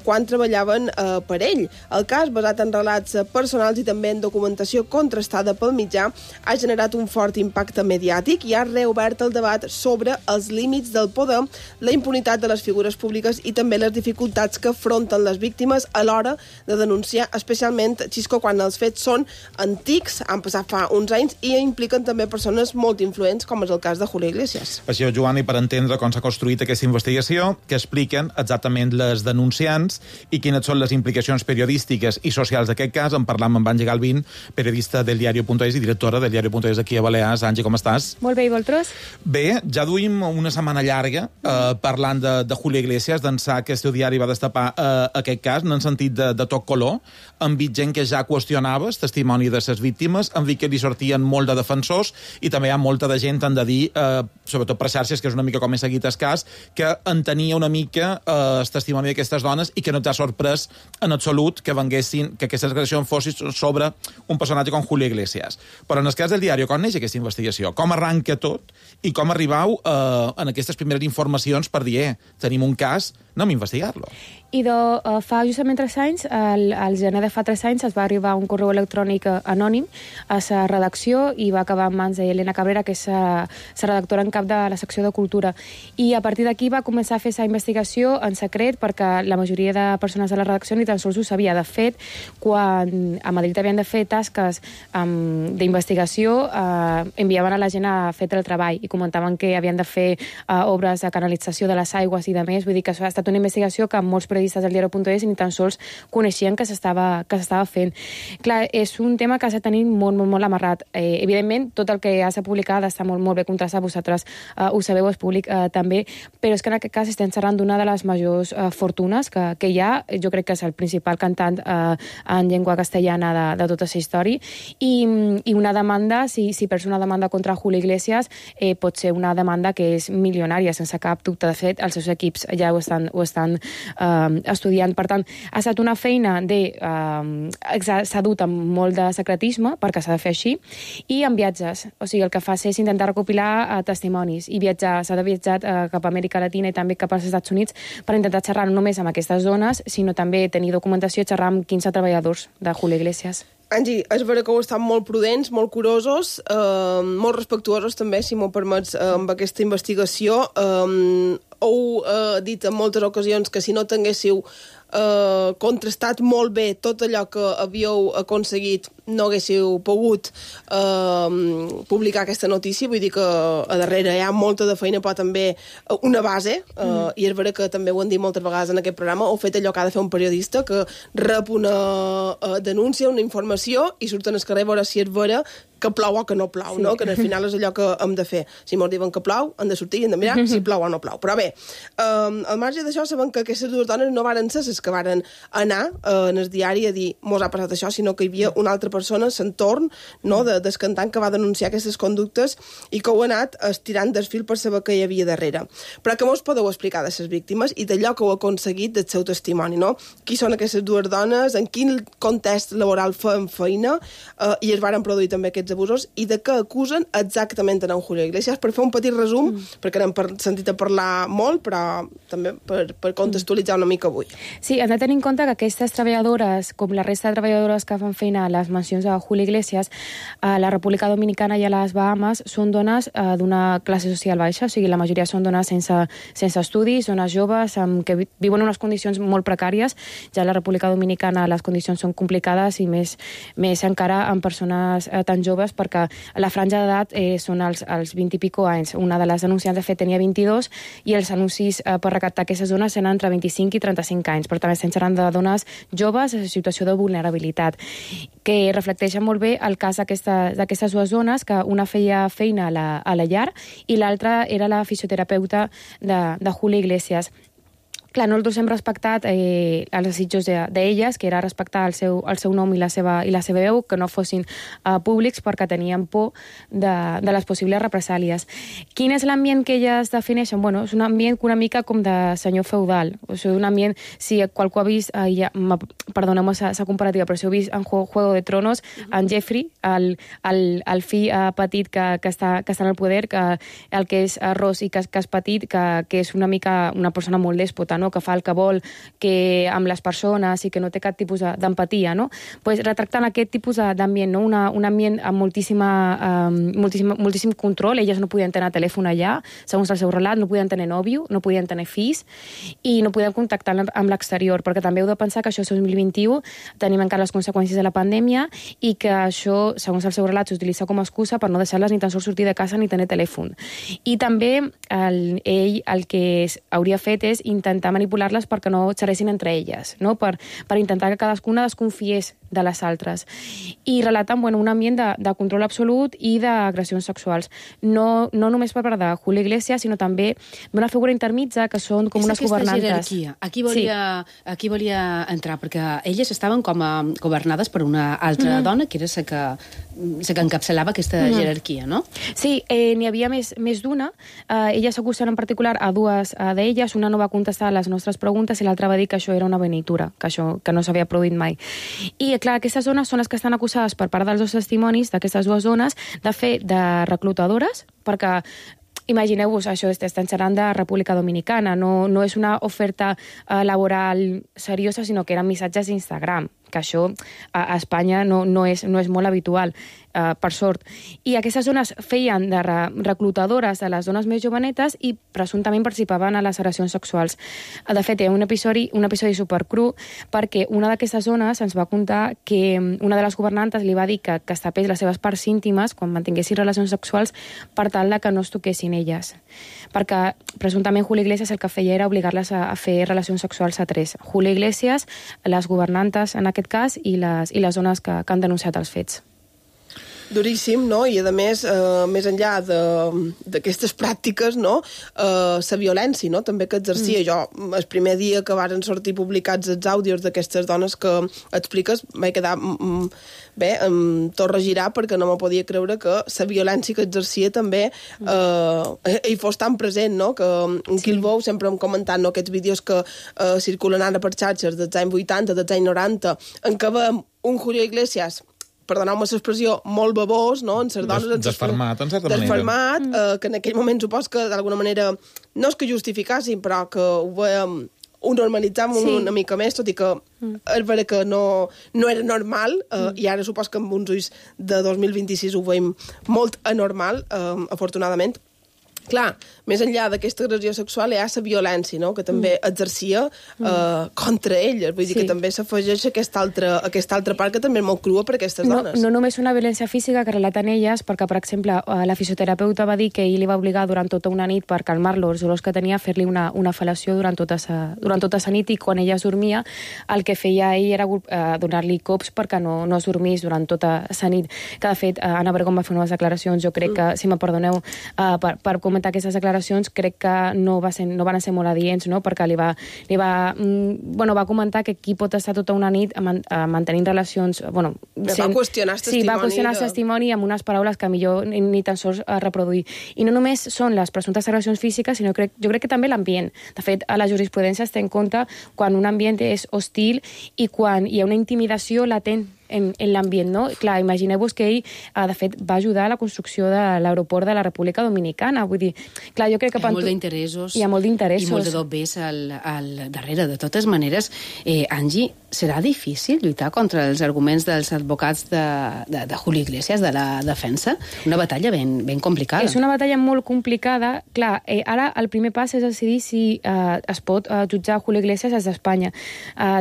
Speaker 8: quan treballaven per ell. El cas, basat en relats personals i també en documentació contrastada pel mitjà, ha generat un fort impacte mediàtic i ha reobert el debat sobre els límits del poder, la impunitat de les figures públiques i també les dificultats que afronten les víctimes a l'hora de denunciar, especialment, Xisco, quan els fets són antics, han passat fa uns anys i impliquen també persones molt influents, com és el cas de Julio Iglesias.
Speaker 7: Així és, Joan, i per entendre com s'ha construït aquesta investigació, que expliquen exactament les denunciants i quines són les implicacions periodístiques i socials d'aquest cas, en parlam amb Àngel Galvín, periodista del Diario.es i directora del Diario.es aquí a Balears. Àngel, com estàs?
Speaker 15: Molt bé, i vosaltres?
Speaker 7: Bé, ja duim una setmana llarga parlant de Julio Iglesias, d'ençà que el seu diari va destapar aquest cas, n'han sentit de tot color, han vist gent que ja qüestionava el testimoni de les víctimes, han vist que li sortien molt de defensors i també hi ha molta de gent, han de dir, sobretot per xarxes, que és una mica com he seguit el cas, que entenia una mica el testimoni d'aquestes dones i que no t'ha sorprès en absolut que venguessin, que aquestes agressions fossin sobre un personatge com Julio Iglesias. Però en el cas del Diari, com neix aquesta investigació? Com arranca tot i com arribau en aquestes primeres informacions per dir, tenim un cas, anem a investigar-lo?
Speaker 15: I fa justament 3 anys, al gener de fa 3 anys, es va arribar un correu electrònic anònim a la redacció i va acabar en mans d'Helena Cabrera, que és la redactora en cap de la secció de Cultura. I a partir d'aquí va començar a fer la investigació en secret, perquè la majoria de persones de la redacció ni tan sols ho sabia. De fet, quan a Madrid havien de fer tasques d'investigació, enviaven a la gent a fer el treball i comentaven que havien de fer obres de canalització de les aigües i de més. Vull dir que això ha estat estat una investigació que molts periodistes del diario.es ni tan sols coneixien que s'estava fent. Clar, és un tema que s'ha de tenir molt amarrat. Evidentment, tot el que s'ha publicat està molt bé contrastat, vosaltres ho sabeu, és públic també, però és que en aquest cas estem xerrant d'una de les majors fortunes que hi ha. Jo crec que és el principal cantant en llengua castellana de tota aquesta història, i una demanda, si perds una demanda contra Julio Iglesias, pot ser una demanda que és milionària, sense cap dubte. De fet, els seus equips ja ho estan estudiant. Per tant, ha estat una feina s'ha dut amb molt de secretisme, perquè s'ha de fer així, i amb viatges. O sigui, el que fa és intentar recopilar testimonis i viatjar. S'ha de viatjar cap a Amèrica Latina i també cap als Estats Units per intentar xerrar no només amb aquestes zones, sinó també tenir documentació i xerrar amb 15 treballadors de Julio Iglesias.
Speaker 8: Angie, és vera que heu estat molt prudents, molt curosos, molt respectuosos també, si m'ho permets, amb aquesta investigació. Heu dit en moltes ocasions que si no tinguéssiu contrastat molt bé tot allò que havíeu aconseguit, no haguéssiu pogut publicar aquesta notícia. Vull dir que a darrere hi ha molta de feina, però també una base, i és vera que també ho han dit moltes vegades en aquest programa, heu fet allò que ha de fer un periodista, que rep una denúncia, una informació, i surten al carrer a veure si és vera que plou o que no plou, no? Que al final és allò que hem de fer. Si ens diuen que plou, hem de sortir i hem de mirar si plou o no plou. Però bé, al marge d'això, sabem que aquestes dues dones no varen ser les que varen anar en el diari a dir mos ha passat això, sinó que hi havia una altra persona a l'entorn, no, del cantant, que va denunciar aquestes conductes i que ho ha anat estirant del fil per saber què hi havia darrere. Però que mos podeu explicar de les víctimes i d'allò que heu aconseguit del seu testimoni, no? Qui són aquestes dues dones, en quin context laboral feien feina, i es varen produir també aquests abusos, i de què acusen exactament en Julio Iglesias. Per fer un petit resum, perquè n'hem sentit a parlar molt, però també per contextualitzar una mica avui.
Speaker 15: Sí, hem de tenir en compte que aquestes treballadores, com la resta de treballadores que fan feina a les mansions de Julio Iglesias, a la República Dominicana i a les Bahamas, són dones d'una classe social baixa, o sigui, la majoria són dones sense estudis, dones joves, que viuen en unes condicions molt precàries. Ja a la República Dominicana les condicions són complicades, i més encara amb persones tan joves, perquè la franja d'edat són els 20 i pico anys. Una de les denunciants, de fet, tenia 22, i els anuncis per recaptar aquestes dones eren entre 25 i 35 anys. Per tant, estem xerrant de dones joves en situació de vulnerabilitat, que reflecteixen molt bé el cas d'aquestes dues dones, que una feia feina a la llar i l'altra era la fisioterapeuta de Julio Iglesias. Clar, nosaltres hem respectat els desitjos d'elles, que era respectar el seu nom i la seva veu, que no fossin públics, perquè tenien por de les possibles represàlies. Quin és l'ambient que elles defineixen? Bueno, és un ambient una mica com de senyor feudal. O sigui, un ambient, si qualcú ha vist, perdoneu-me la comparativa, però si heu vist en Juego de Tronos, en Jeffrey, el fill petit que està en el poder, el que és ros i que és petit, que és una mica una persona molt dèspota, no? Que fa el que vol, que amb les persones i que no té cap tipus d'empatia, no? Pues retractant aquest tipus d'ambient, no? Un ambient amb moltíssim control. Elles no podien tenir telèfon allà, segons el seu relat, no podien tenir nòvio, no podien tenir fills i no podien contactar amb l'exterior, perquè també heu de pensar que això és 2021, tenim encara les conseqüències de la pandèmia i que això, segons el seu relat, s'utilitza com a excusa per no deixar-les ni tan sols sortir de casa ni tenir telèfon. I també ell el que hauria fet és intentar manipular-les perquè no xerressin entre elles, no? Per intentar que cadascuna desconfiés de les altres. I relaten un ambient de control absolut i d'agressions sexuals. No només per part de Julio Iglesias, sinó també d'una figura intermitja, que són com unes governantes.
Speaker 6: És aquesta jerarquia. Aquí volia entrar, perquè elles estaven com a governades per una altra dona, que era la que encapçalava aquesta jerarquia, no?
Speaker 15: Sí, n'hi havia més d'una. Elles s'acusen en particular a dues d'elles. Una no va contestar a les nostres preguntes i l'altra va dir que això era una benitura, que no s'havia produït mai. I, clar, aquestes dones són les que estan acusades per part dels dos testimonis d'aquestes dues dones de fer de reclutadores, perquè imagineu-vos, això estem xerrant de República Dominicana, no és una oferta laboral seriosa, sinó que eren missatges d'Instagram, que això a Espanya no és molt habitual. per sort. I aquestes dones feien de reclutadores de les dones més jovenetes i presumptament participaven a les agressions sexuals. De fet, hi ha un episodi supercru perquè una d'aquestes dones ens va contar que una de les governantes li va dir que es tapés les seves parts íntimes quan mantinguessin relacions sexuals per tal de que no es toquessin elles. Perquè presumptament Julio Iglesias el que feia era obligar-les a fer relacions sexuals a 3. Julio Iglesias, les governantes en aquest cas i les dones que han denunciat els fets.
Speaker 8: Duríssim, no? I a més, més enllà d'aquestes pràctiques, no? La violència, no? També que exercia. Jo, el primer dia que varen sortir publicats els àudios d'aquestes dones que expliques, vaig quedar bé, tot regirar perquè no me podia creure que la violència que exercia també hi fos tan present, no? Que en Quilbou sempre hem comentat, no? Aquests vídeos que circulen ara per xarxes dels anys 80, dels anys 90, en què veiem un Julio Iglesias, perdoneu-me l'expressió, molt babós, no? En les dones...
Speaker 7: Desfermat, en certa manera.
Speaker 8: Desfermat, que en aquell moment supos que d'alguna manera no és que justificassin, però que ho veiem, ho normalitzàvem una mica més, tot i que és vera que no era normal, i ara supos que amb uns ulls de 2026 ho veiem molt anormal, afortunadament. Clar, més enllà d'aquesta agressió sexual hi ha la violència, no?, que també exercia contra elles. Vull dir que també s'afegeix aquesta altra part que també és molt crua per aquestes dones.
Speaker 15: No només una violència física que relaten elles, perquè, per exemple, la fisioterapeuta va dir que ell li va obligar durant tota una nit per calmar-lo els dolors que tenia a fer-li una fel·lació durant tota la nit, i quan ella es dormia el que feia ell era donar-li cops perquè no es dormís durant tota la nit. Que, de fet, Anna Obregón va fer unes declaracions, jo crec que, si me perdoneu, per comentar aquestes declaracions, crec que no van ser molt adients, no? Perquè va comentar que qui pot estar tota una nit mantenint relacions...
Speaker 8: Va qüestionar el testimoni.
Speaker 15: Sí, va qüestionar el testimoni amb unes paraules que millor ni tan sols reproduir. I no només són les presumptes agressions físiques, sinó jo crec que també l'ambient. De fet, a la jurisprudència es té en compte quan un ambient és hostil i quan hi ha una intimidació latent en l'ambient, no? Clar, imagineu-vos que ell, de fet, va ajudar a la construcció de l'aeroport de la República Dominicana. Vull dir, clar, jo crec que...
Speaker 6: Hi ha molt d'interessos.
Speaker 15: Hi ha molt d'interessos.
Speaker 6: I molt de dobbers al darrere. De totes maneres, Angie, serà difícil lluitar contra els arguments dels advocats de Julio Iglesias, de la defensa? Una batalla ben complicada.
Speaker 15: És una batalla molt complicada. Clar, ara el primer pas és decidir si es pot jutjar Julio Iglesias des d'Espanya.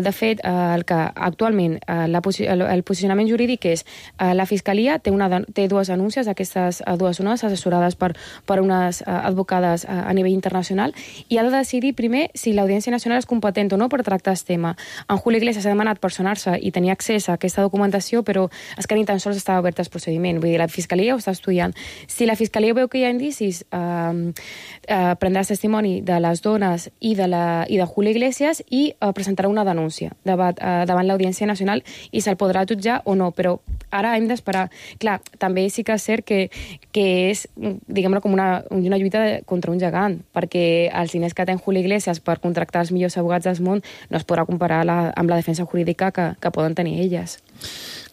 Speaker 15: De fet, el que actualment el posicionament jurídic és la Fiscalia té dues denúncies, aquestes dues dones assessorades per unes advocades a nivell internacional, i ha de decidir primer si l'Audiència Nacional és competent o no per tractar el tema. En Julio Iglesias ha demanat personar-se i tenir accés a aquesta documentació, però és que ni tan sols estava obert el procediment. Vull dir, la Fiscalia ho està estudiant. Si la Fiscalia veu que hi ha indicis, prendrà el testimoni de les dones i de Julio Iglesias i presentarà una denúncia davant l'Audiència Nacional i se'l podrà jutjar o no, però ara hem d'esperar. Clar, també sí que és cert que és, diguem-ne, com una lluita contra un gegant, perquè els diners que té Julio Iglesias per contractar els millors abogats del món no es podrà comparar amb la defensa jurídica que poden tenir elles.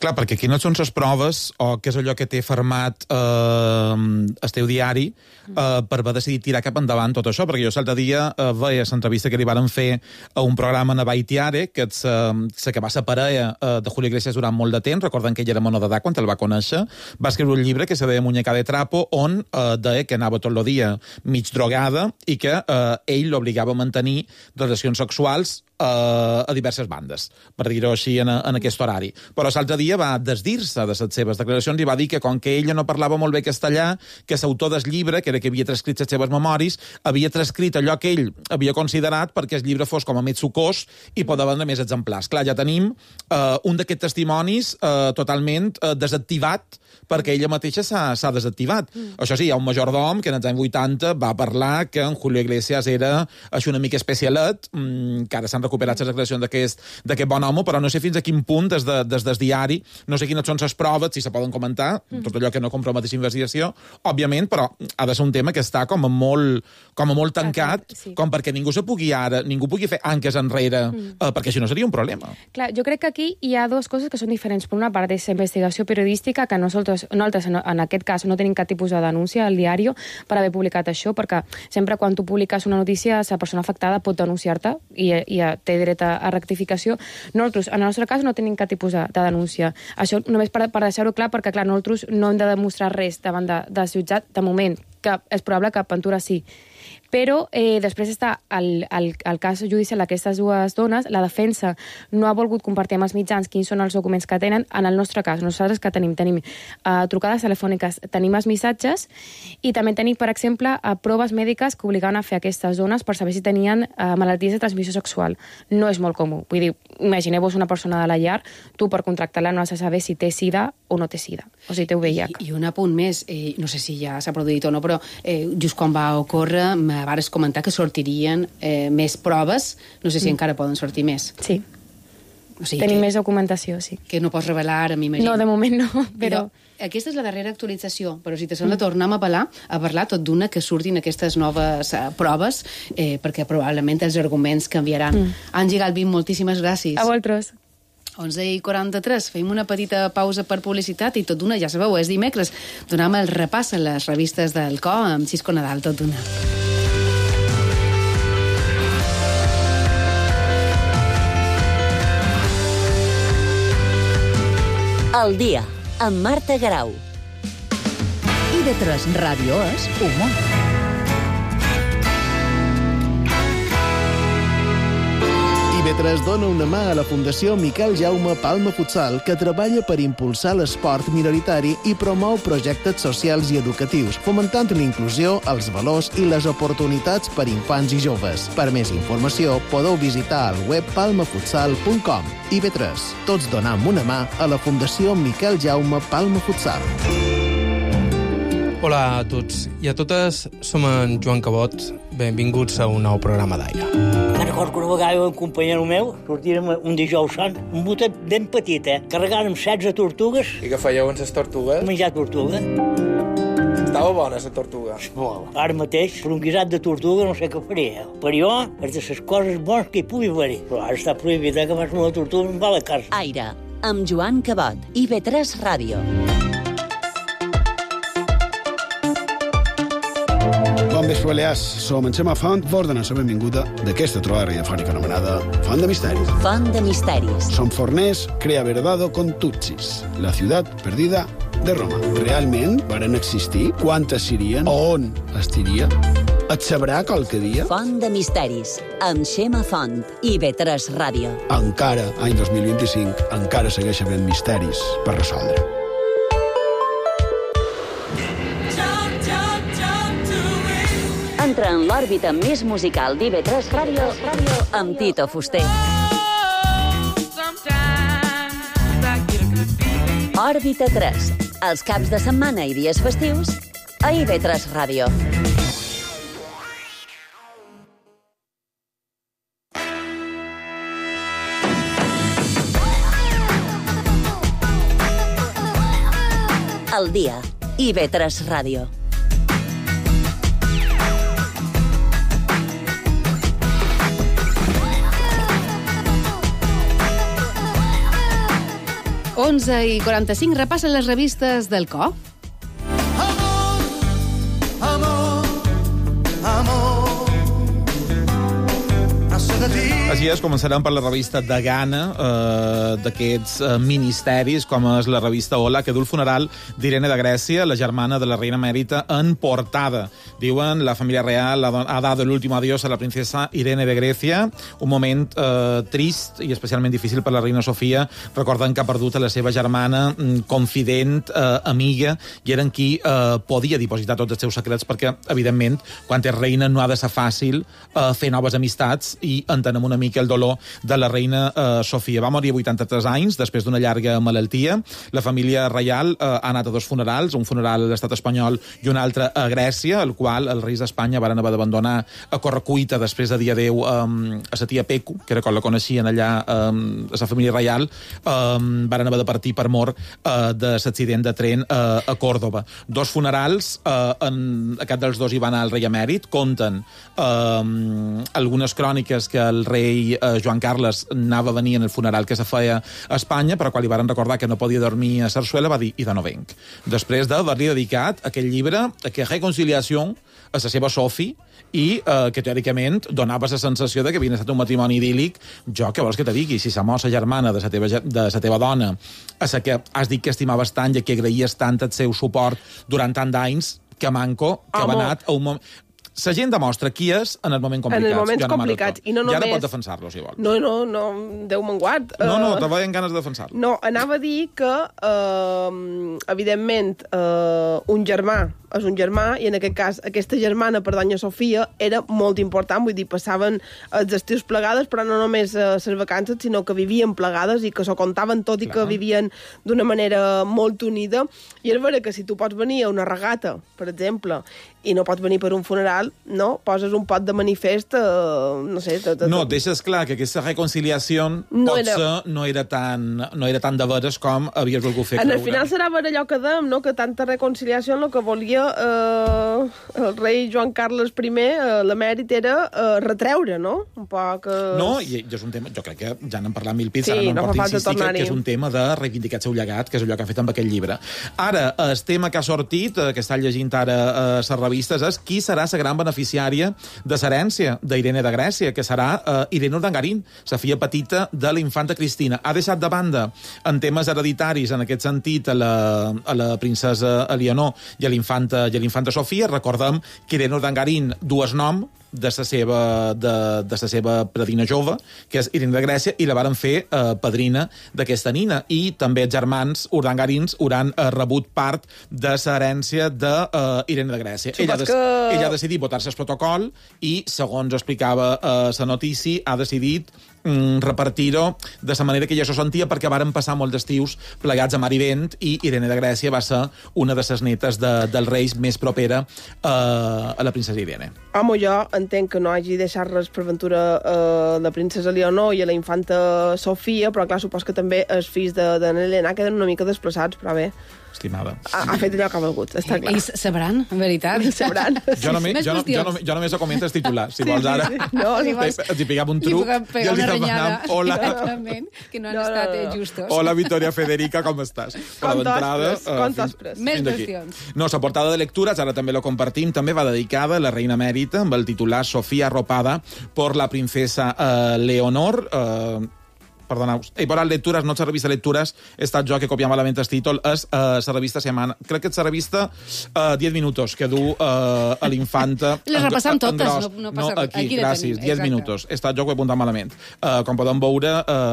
Speaker 7: Clar, perquè quines són les proves o què és allò que té fermat el teu diari per haver decidit tirar cap endavant tot això? Perquè jo l'altre dia veia l'entrevista que li varen fer a un programa a Baitiare, que és la que va ser parella de Julio Iglesias durant molt de temps, recordant que ell era menor d'edat quan el va conèixer, va escriure un llibre que se deia Muñeca de Trapo, on deia que anava tot el dia mig drogada i que ell l'obligava a mantenir relacions sexuals a diverses bandes, per dir-ho així en aquest horari. Però l'altre dia va desdir-se de les seves declaracions i va dir que com que ella no parlava molt bé castellà, que l'autor del llibre, que era que havia transcrit les seves memòries, havia transcrit allò que ell havia considerat perquè el llibre fos com a més sucós i poder vendre més exemplars. Clar, ja tenim un d'aquests testimonis totalment desactivat perquè ella mateixa s'ha desactivat. Això sí, hi ha un majordom que en els anys 80 va parlar que en Julio Iglesias era una mica especialet, que ara s'han recuperat les declaracions d'aquest bon home, però no sé fins a quin punt des del diari, no sé quines són les proves, si se poden comentar, tot allò que no comprometeix investigació, òbviament, però ha de ser un tema que està com a molt tancat, com perquè ningú pugui fer anques enrere, perquè això no seria un problema.
Speaker 15: Clar, jo crec que aquí hi ha dues coses que són diferents. Per una part, és investigació periodística, que nosaltres en aquest cas no tenim cap tipus de denúncia al diari per haver publicat això, perquè sempre quan tu publiques una notícia, la persona afectada pot denunciar-te i té dret a rectificació. Nosaltres, en el nostre cas, no tenim cap tipus de denúncia. Això només per deixar-ho clar, perquè, clar, nosaltres no hem de demostrar res davant del jutjat, de moment, que és probable que Ventura sí. Però després està el cas judicial d'aquestes dues dones. La defensa no ha volgut compartir amb els mitjans quins són els documents que tenen. En el nostre cas, nosaltres que tenim trucades telefòniques, tenim els missatges i també tenim, per exemple, proves mèdiques que obligaven a fer aquestes dones per saber si tenien malalties de transmissió sexual. No és molt comú. Vull dir, imagineu-vos una persona de la llar, tu per contractar-la no has de saber si té sida o no té sida, o si té VIH.
Speaker 6: I un apunt més, no sé si ja s'ha produït o no, però just quan va ocórrer vares comentar que sortirien més proves, no sé si encara poden sortir més.
Speaker 15: Sí.
Speaker 6: O sigui,
Speaker 15: tenim més documentació, sí.
Speaker 6: Que no pots revelar, m'imagino.
Speaker 15: No, de moment no, però...
Speaker 6: Aquesta és la darrera actualització, però si te sembla tornem a parlar tot d'una que surtin aquestes noves proves, perquè probablement els arguments canviaran. Àngel Galvín, moltíssimes gràcies.
Speaker 15: A vosaltres.
Speaker 6: 11:43, fem una petita pausa per publicitat i tot d'una, ja sabeu, és dimecres. Donem el repàs a les revistes del CO amb Xisco Nadal, tot d'una.
Speaker 5: El dia, amb Marta Garau.
Speaker 4: IB3 Ràdio és humor.
Speaker 16: IB3 dona una mà a la Fundació Miquel Jaume Palma Futsal, que treballa per impulsar l'esport minoritari i promou projectes socials i educatius, fomentant l'inclusió, els valors i les oportunitats per infants i joves. Per més informació, podeu visitar el web palmafutsal.com. IB3. Tots donam una mà a la Fundació Miquel Jaume Palma Futsal.
Speaker 17: Hola a tots i a totes, som en Joan Cabot. Benvinguts a un nou programa d'Aire.
Speaker 18: Me'n recordo que una vegada un companyero meu sortirem un dijous sant, un botet ben petit, carregàrem 16 tortugues.
Speaker 17: I què fèieu amb les tortugues?
Speaker 18: Menjar tortuga.
Speaker 17: Estava bona, la tortuga.
Speaker 18: Molt. Ara mateix, per un guisat de tortuga no sé què faria. Per jo, és de les coses bones que hi pugui haver. Però ara està prohibit que fas una tortuga en va a la casa.
Speaker 5: Aire, amb Joan Cabot, IB3 Ràdio.
Speaker 19: Bon vespre, Balears. Som en Xema Font, vos donem la benvinguda d'aquesta trobada radiofònica anomenada Font de Misteris.
Speaker 5: Font de Misteris.
Speaker 19: Som forners, crea verdado con tutsis, la ciutat perdida de Roma. Realment varen existir? Quantes serien? On estiria? Et sabrà qualque dia?
Speaker 5: Font de Misteris, amb Xema Font, IB3 Ràdio.
Speaker 19: Encara, any 2025, encara segueix havent misteris per resoldre.
Speaker 5: Entra en l'òrbita més musical d'IB3 Ràdio amb Tito Fuster. Òrbita 3, els caps de setmana i dies festius a IB3 Ràdio. El dia, IB3 Ràdio.
Speaker 6: Onze i 45, repassen les revistes del CO.
Speaker 7: Així és, començarem per la revista de Ghana, d'aquests ministeris, com és la revista Hola, que du el funeral d'Irene de Grècia, la germana de la reina emèrita, en portada. Diuen, la família real ha dado el último adiós a la princesa Irene de Grècia, un moment trist i especialment difícil per la reina Sofia, recordant que ha perdut a la seva germana, confident, amiga, i era en qui podia dipositar tots els seus secrets, perquè, evidentment, quan és reina no ha de ser fàcil fer noves amistats, i entenem una mica el dolor de la reina Sofia. Va morir a 83 anys, després d'una llarga malaltia. La família reial ha anat a dos funerals, un funeral a l'estat espanyol i un altre a Grècia, el qual els reis d'Espanya van haver d'abandonar a correcuita després de dir adeu a sa tia Pecu, que era com la coneixien allà a la família reial, van haver de partir per mort de l'accident de tren a Còrdova. Dos funerals, en aquest dels dos hi va anar el rei emèrit, compten algunes cròniques que el rei Joan Carles anava a venir en el funeral que se feia a Espanya, però quan li van recordar que no podia dormir a Sarsuela va dir, i de no venc. Després d'haver-li dedicat aquell llibre, que Reconciliació, a la seva Sophie, i que teòricament donava la sensació de que havia estat un matrimoni idíl·lic. Jo, què vols que te digui? Si la mossa germana de la teva dona, a la que has dit que estimaves tant i que agraïes tant el seu suport durant tant d'anys, que manco, que va anat a un moment... La gent demostra qui és en els moments complicats.
Speaker 8: En els moments complicats. I no només...
Speaker 7: Ja no pot defensar-lo, si vol.
Speaker 8: No, Déu me'n guard.
Speaker 7: No, te veien ganes de defensar-lo.
Speaker 8: No, anava a dir que, evidentment, un germà és un germà, i en aquest cas aquesta germana per doña Sofia era molt important, vull dir, passaven els estius plegades, però no només les vacances, sinó que vivien plegades i que s'ho contaven tot i que vivien d'una manera molt unida. I és vera que si tu pots venir a una regata, per exemple, i no pots venir per un funeral, no? Poses un pot de manifest, no sé...
Speaker 7: No, deixes clar que aquesta reconciliació no era tan de veres com havies volgut fer creure.
Speaker 8: En el final serà ver allò que dèiem, no? Que tanta reconciliació el que volia el rei Joan Carles I, l'emèrit, era retreure, no? Un poc...
Speaker 7: No, i és un tema... Jo crec que ja n'hem parlat mil pits, ara no em porto insistir que és un tema de reivindicar el seu llegat, que és allò que ha fet amb aquest llibre. Ara, el tema que ha sortit, que està llegint ara a les revistes, és qui serà la gran beneficiària de l'herència d'Irene de Grècia, que serà Irene Urdangarín, la filla petita de la infanta Cristina. Ha deixat de banda, en temes hereditaris, en aquest sentit, a la princesa Eleonor i a l'infanta Sofia. Recordem que Irene Urdangarín dues nom de la seva predina jove, que és Irene de Grècia, i la varen fer padrina d'aquesta nina. I també els germans Urdangarins hauran rebut part de l'herència d'Irene de Grècia. Ella ha decidit votar-se el protocol i, segons explicava la notícia, ha decidit repartir-ho de la manera que ella s'ho sentia, perquè varen passar molt d'estius plegats a mar i vent, i Irene de Grècia va ser una de les netes dels reis més propera a la princesa Irene.
Speaker 8: Home, jo entenc que no hagi deixat res per ventura la princesa Leonor i a la infanta Sofia, però clar, supos que també els fills de Helena queden una mica desplaçats, però bé.
Speaker 7: Estimada.
Speaker 8: Ha fet allò que ha volgut, està clar.
Speaker 6: Ells sabran, en veritat.
Speaker 8: Sabran.
Speaker 7: Jo només ho comento els titulars. Si vols ara, els hi pegava un truc i els hi demanam hola.
Speaker 6: Exactament, que no han estat justos.
Speaker 7: Hola, Victoria Federica, com estàs?
Speaker 8: Com t'has pres?
Speaker 6: Més qüestions.
Speaker 7: No, la portada de lectures, ara també lo compartim, també va dedicada a la reina emèrita, amb el titular Sofía arropada por la princesa Leonor. Perdoneu, he parat lectures, no és la revista Lectures, he estat jo que copia malament el títol, és la revista Semana, crec que és la revista 10 minutos, que du a l'infanta...
Speaker 6: Les repassam totes, no passa res.
Speaker 7: Aquí, gràcies, 10 minutos. He estat jo que he apuntat malament. Com podem veure,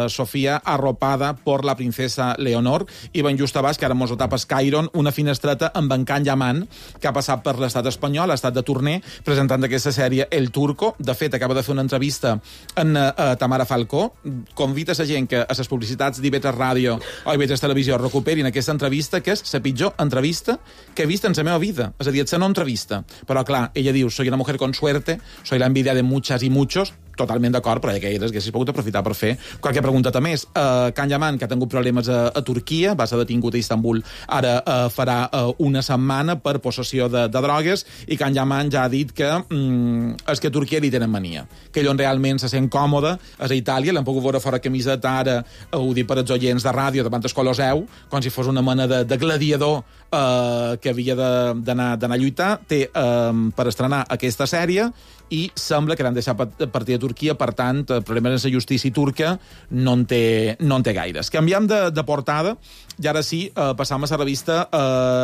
Speaker 7: Sofia arropada por la princesa Leonor, i ben just abans, que ara mos ho tapa Skyron, una finestreta amb en Can Yaman, que ha passat per l'estat espanyol, ha estat de torner, presentant aquesta sèrie El Turco. De fet, acaba de fer una entrevista en Tamara Falcó. Convita la gent que a les publicitats d'IV3 Ràdio o IV3 Televisió recuperin aquesta entrevista, que és la pitjor entrevista que he vist en la meva vida. És a dir, la no entrevista. Però, clar, ella diu, soy una mujer con suerte, soy la envidia de muchas y muchos, totalment d'acord, però que elles haguessis pogut aprofitar per fer qualque pregunta més. Can Yaman, que ha tingut problemes a Turquia, va ser detingut a Istanbul, ara farà una setmana per possessió de drogues, i Can Yaman ja ha dit que és que a Turquia li tenen mania, que ell on realment se sent còmode és a Itàlia. L'hem pogut veure fora camiseta ara, ho dic per als oients de ràdio, davant el Colosseu, com si fos una mena de gladiador que havia d'anar a lluitar. Té per estrenar aquesta sèrie i sembla que l'han deixat partir a Turquia, per tant, el problema de la justícia turca no en té gaires. Canviem de portada, i ara sí, passam a la revista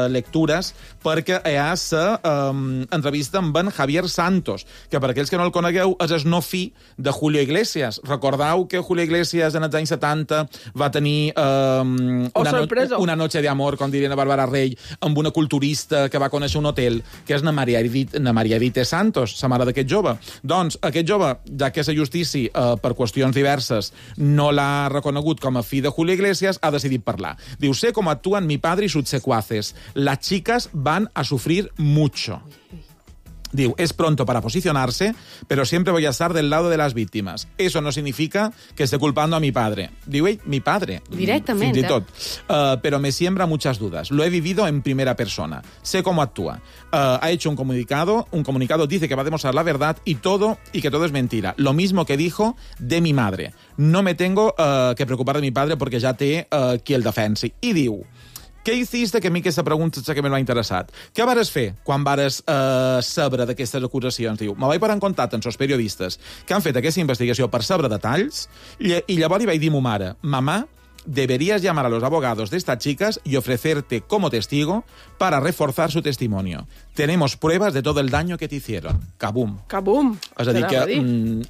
Speaker 7: Lectures, perquè hi ha la entrevista amb en Javier Santos, que per aquells que no el conegueu és el no fi de Julio Iglesias. Recordeu que Julio Iglesias en els anys 70 va tenir una noche de amor, com diria Bàrbara Rey, amb una culturista que va conèixer un hotel, que és na Maria Edith Santos, la mare d'aquest jove. Doncs aquest jove, ja que la justícia, per qüestions diverses, no l'ha reconegut com a fill de Julio Iglesias, ha decidit parlar. Diu, sé cómo actúan mi padre y sus secuaces. Las chicas van a sufrir mucho. Diu, es pronto para posicionarse, pero siempre voy a estar del lado de las víctimas. Eso no significa que esté culpando a mi padre. Diu ell, mi padre.
Speaker 6: Directamente.
Speaker 7: Fins i tot. Pero me siembra muchas dudas. Lo he vivido en primera persona. Sé cómo actúa. Ha hecho un comunicado, dice que va a demostrar la verdad y que todo es mentira. Lo mismo que dijo de mi madre. No me tengo que preocupar de mi padre porque ya té qui el defensi. I diu Què hiciste? Que a mi aquesta pregunta és que m'ha interessat. Què vares fer quan vares saber d'aquestes acusacions? Diu, me vaig parar en contacte amb els periodistes que han fet aquesta investigació per saber detalls i llavors li vaig dir a ma mare, mamá, deberías llamar a los abogados de estas chicas y ofrecerte como testigo para reforzar su testimonio. Tenemos pruebas de todo el daño que te hicieron. Cabum.
Speaker 8: Cabum.
Speaker 7: És a dir, que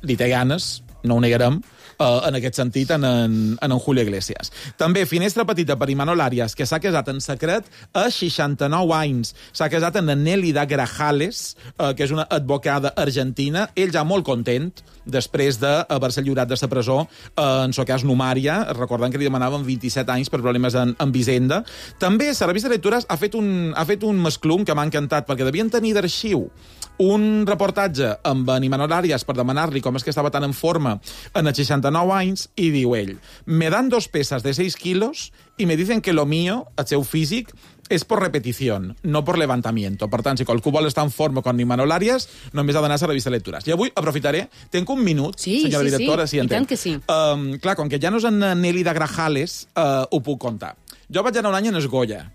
Speaker 7: li té ganes, no ho negarem, en aquest sentit, en Julio Iglesias. També, finestra petita per Imanol Arias, que s'ha casat en secret a 69 anys. S'ha casat amb Nélida Grajales, que és una advocada argentina. Ell ja molt content, després d'haver-se lliurat de la presó, en el cas Numària, recordant que li demanaven 27 anys per problemes amb Hisenda. També, la revista de lectures ha fet un masclum que m'ha encantat, perquè devien tenir d'arxiu un reportatge amb en Imanol Arias per demanar-li com és que estava tan en forma en els 69 anys, i diu ell, me dan 2 pesas de 6 kilos y me dicen que lo mío, el seu físic, és por repetición, no por levantamiento. Per tant, si qualcú vol estar en forma com Imanol Arias, només ha d'anar a la revista de lectures. I avui aprofitaré, tenc un minut, senyora directora, si
Speaker 6: i tant que sí.
Speaker 7: Clar, com que ja no és en Nélida Grajales, ho puc contar. Jo vaig anar un any en Esgolla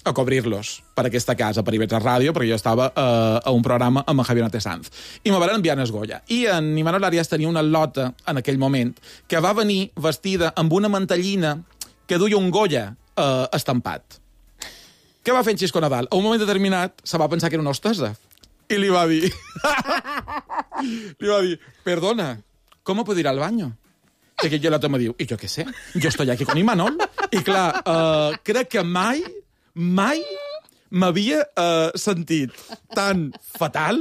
Speaker 7: a cobrir-los per aquesta casa, per IB3 Ràdio, perquè jo estava a un programa amb en Javier Nate Sanz. I me van enviar a Esgolla. I en Imanol Arias tenia una lota, en aquell moment, que va venir vestida amb una mantellina que duia un Goya estampat. Què va fer en Xisco Nadal? A un moment determinat se va pensar que era una hostessa. I li va dir... perdona, ¿cómo puedo ir al baño? I aquell lota me diu, i jo què sé, jo estoy aquí con Imanol. I clar, crec que mai m'havia sentit tan fatal.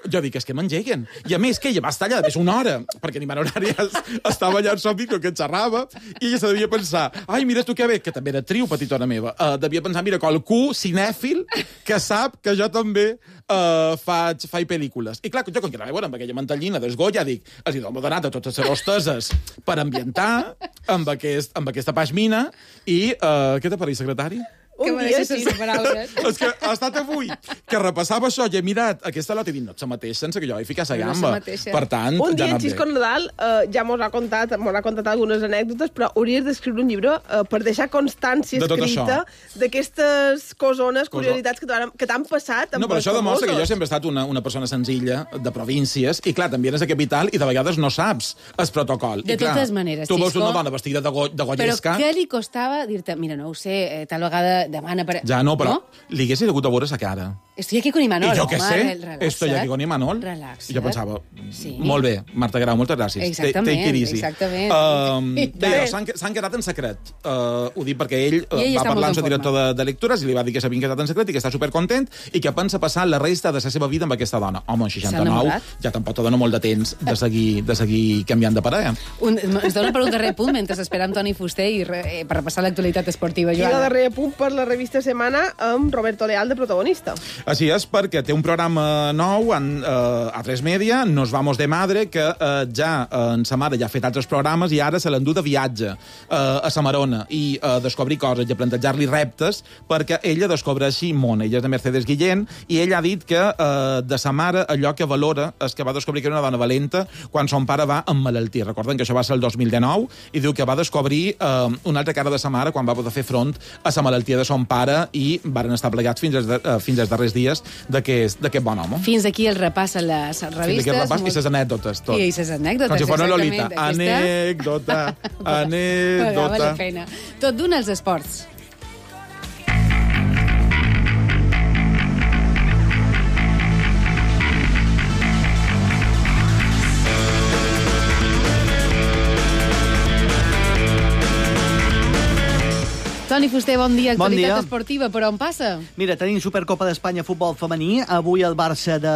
Speaker 7: Jo dic, és que m'engeguen. I a més, que ella va estar allà més una hora, perquè Imanol Arias estava allà en el micro que xerrava, i ella se devia pensar, ai, mira tu que bé, que també era actriu, petitona meva, devia pensar, mira, qualcú cinèfil que sap que jo també faig pel·lícules. I clar, jo, com que anava amb aquella mantellina d'Esgolla, dic, els hi dono donat a totes les hosteses per ambientar amb aquesta pashmina, i què t'ha parit, secretari?
Speaker 6: Que me deixes sense paraules.
Speaker 7: És que ha estat avui que repassava això i he mirat aquesta lota i dic, no ets la mateixa, sense que jo hi ficar la gamba. Per tant,
Speaker 8: un dia
Speaker 7: ja
Speaker 8: en Xisco Nadal ja m'ho ha contat algunes anècdotes, però hauries d'escriure un llibre per deixar constància escrita d'aquestes cosones, curiositats que t'han passat.
Speaker 7: No, però això demostra que jo sempre he estat una persona senzilla, de províncies, i clar, també eres a capital i de vegades no saps el protocol.
Speaker 6: De totes maneres,
Speaker 7: tu veus una dona vestida de gollesca...
Speaker 6: Però què li costava dir-te, mira, no ho sé, tal vegada demana per...
Speaker 7: Ja no, però li haguessis hagut a veure sa cara.
Speaker 6: Estoy aquí con Imanol.
Speaker 7: I jo què sé, estoy aquí con Imanol.
Speaker 6: Relaxa't.
Speaker 7: I jo pensava, molt bé, Marta Grau, moltes gràcies.
Speaker 6: Exactament,
Speaker 7: Take it easy.
Speaker 6: Exactament.
Speaker 7: S'han quedat en secret. Ho dic perquè ell va parlar amb el director de lectures i li va dir que s'havien quedat en secret i que està supercontent i que pensa passar la resta de la seva vida amb aquesta dona. Home, en 69 ja tampoc te dona molt de temps de seguir canviant de parella.
Speaker 6: Ens dona per un darrer punt mentre esperam Toni Fuster i per repassar l'actualitat esportiva, Joana.
Speaker 8: I el darrer punt per la revista Setmana amb Roberto Leal de protagonista.
Speaker 7: Així és, perquè té un programa nou a 3 Media, Nos vamos de madre, que ja en sa mare ja ha fet altres programes i ara se l'endú de viatge a Samarona i a descobrir coses i a plantejar-li reptes perquè ella descobreixi món. Ella és de Mercedes Guillén i ella ha dit que de sa mare allò que valora és que va descobrir que era una dona valenta quan son pare va emmalaltir. Recorden que això va ser el 2019 i diu que va descobrir una altra cara de sa mare quan va poder fer front a sa malaltia de son pare i varen estar plegats fins als darrers dies d'aquest bon home.
Speaker 6: Fins aquí el repàs a les revistes.
Speaker 7: Fins aquí el repàs i les anècdotes, tot.
Speaker 6: I les anècdotes,
Speaker 7: com si fos una
Speaker 6: exactament.
Speaker 7: Lolita. Anècdota.
Speaker 6: Pagava la pena. Tot d'un als esports. Toni Fuster, bon dia. Actualitat esportiva, per on passa?
Speaker 12: Mira, tenim Supercopa d'Espanya futbol femení. Avui el Barça de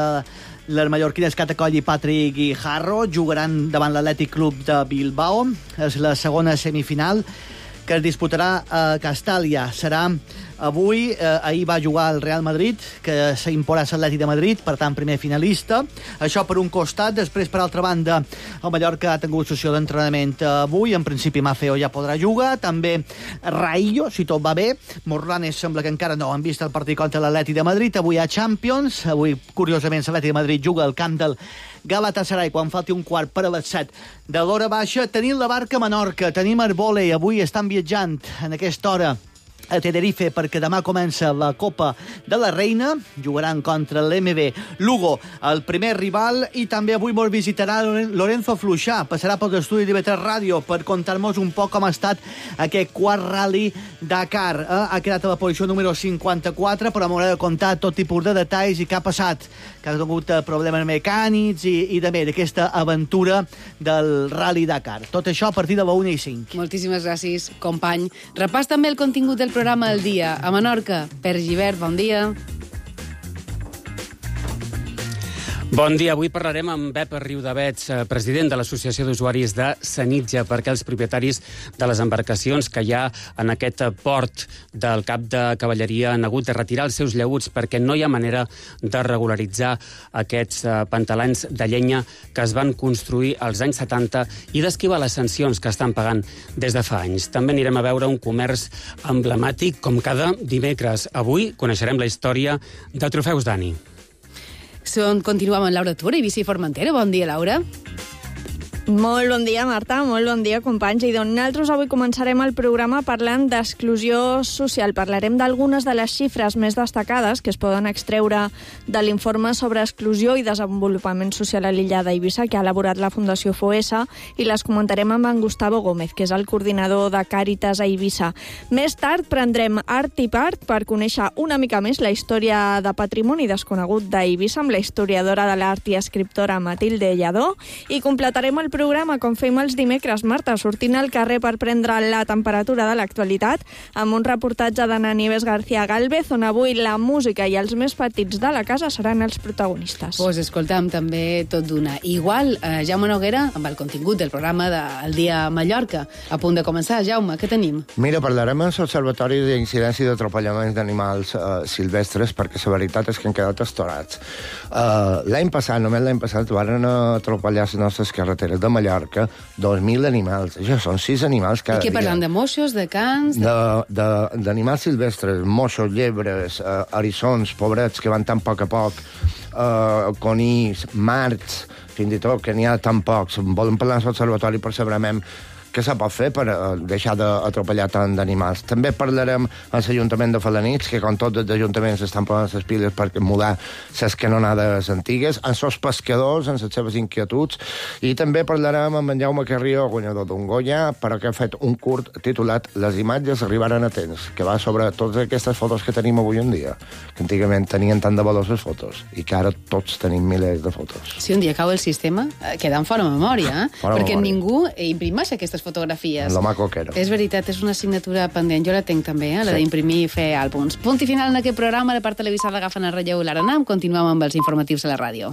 Speaker 12: les mallorquines Catacoll i Patrick Guijarro jugaran davant l'Atlètic Club de Bilbao. És la segona semifinal que es disputarà a Castàlia. Serà avui, ahir va jugar el Real Madrid, que s'imporà l'Atlètic de Madrid, per tant, primer finalista. Això per un costat. Després, per altra banda, el Mallorca ha tingut sessió d'entrenament avui. En principi, Mafeo ja podrà jugar. També Raillo, si tot va bé. Morlanes sembla que encara no han vist el partit contra l'Atlètic de Madrid. Avui a Champions. Avui, curiosament, l'Atlètic de Madrid juga al camp del Galatasaray quan falti un quart per a les 7 de l'hora baixa. Tenim la barca a Menorca, tenim el vòlei. Avui estan viatjant en aquesta hora a Tenerife perquè demà comença la Copa de la Reina, jugaran contra l'MB Lugo, el primer rival, i també avui ens visitarà Lorenzo Fluixà, passarà pel estudi d'IV3 Ràdio per contar-nos un poc com ha estat aquest quart Rally Dakar. Ha quedat a la posició número 54, però m'haurà de contar tot tipus de detalls i què ha passat, que ha tingut problemes mecànics i també d'aquesta aventura del Rally Dakar. Tot això a partir de la 1:05.
Speaker 6: Moltíssimes gràcies, company. Repàs també el contingut del programa El Dia. A Menorca, Per Givert, bon dia.
Speaker 20: Bon dia. Avui parlarem amb Pep Riudavets, president de l'Associació d'Usuaris de Sanitja, perquè els propietaris de les embarcacions que hi ha en aquest port del Cap de Cavalleria han hagut de retirar els seus llaüts perquè no hi ha manera de regularitzar aquests pantalans de llenya que es van construir als anys 70 i d'esquivar les sancions que estan pagant des de fa anys. També anirem a veure un comerç emblemàtic com cada dimecres. Avui coneixerem la història de Trofeus Dani.
Speaker 6: Continuem amb Laura Tura i Bici Formentera. Bon dia, Laura.
Speaker 21: Molt bon dia, Marta, molt bon dia, companys. I doncs nosaltres avui començarem el programa parlant d'exclusió social. Parlarem d'algunes de les xifres més destacades que es poden extreure de l'informe sobre exclusió i desenvolupament social a l'illa d'Eivissa que ha elaborat la Fundació FOESA i les comentarem amb en Gustavo Gómez, que és el coordinador de Càritas a Eivissa. Més tard prendrem art i part per conèixer una mica més la història de patrimoni desconegut d'Eivissa amb la historiadora de l'art i escriptora Matilde Lladó i completarem el programa, com fem els dimecres, Marta, sortint al carrer per prendre la temperatura de l'actualitat, amb un reportatge d'Ana Nieves García Gálvez, on avui la música i els més petits de la casa seran els protagonistes.
Speaker 6: Pues escolta'm, també tot d'una. Igual, Jaume Noguera, amb el contingut del programa del Dia Mallorca. A punt de començar, Jaume, què tenim?
Speaker 22: Mira, parlarem amb l'Observatori d'Incidència i d'Atropellaments d'Animals Silvestres, perquè la veritat és que han quedat estorats. L'any passat, només l'any passat, van atropellar les nostres carreteres de Mallorca 2.000 animals. Això són 6 animals cada dia.
Speaker 6: I què parlant de moixos, de cans?
Speaker 22: D'animals silvestres, moixos, llebres, eriçons, pobrets, que van tan poc a poc, conills, marts, fins i tot, que n'hi ha tan pocs. Volem parlar amb l'Observatori per saber què se pot fer per deixar d'atropellar tant d'animals. També parlarem amb l'Ajuntament de Felanitx, que com tots els ajuntaments estan posant les piles per mudar les canonades antigues, amb els pescadors, amb les seves inquietuds, i també parlarem amb en Jaume Carrió, guanyador d'un Goya, però que ha fet un curt titulat Les imatges arribaren a temps, que va sobre totes aquestes fotos que tenim avui en dia, que antigament tenien tant de valor les fotos, i que ara tots tenim milers de fotos.
Speaker 6: Si un dia cau el sistema, queden fora memòria, perquè ningú imprimeix aquestes fotografies.
Speaker 22: Lo maco que era.
Speaker 6: És veritat, és una assignatura pendent. Jo la tinc també, la d'imprimir i fer àlbums. Punt i final en aquest programa. La part televisada agafen el relleu i l'Aranam. Continuem amb els informatius a la ràdio.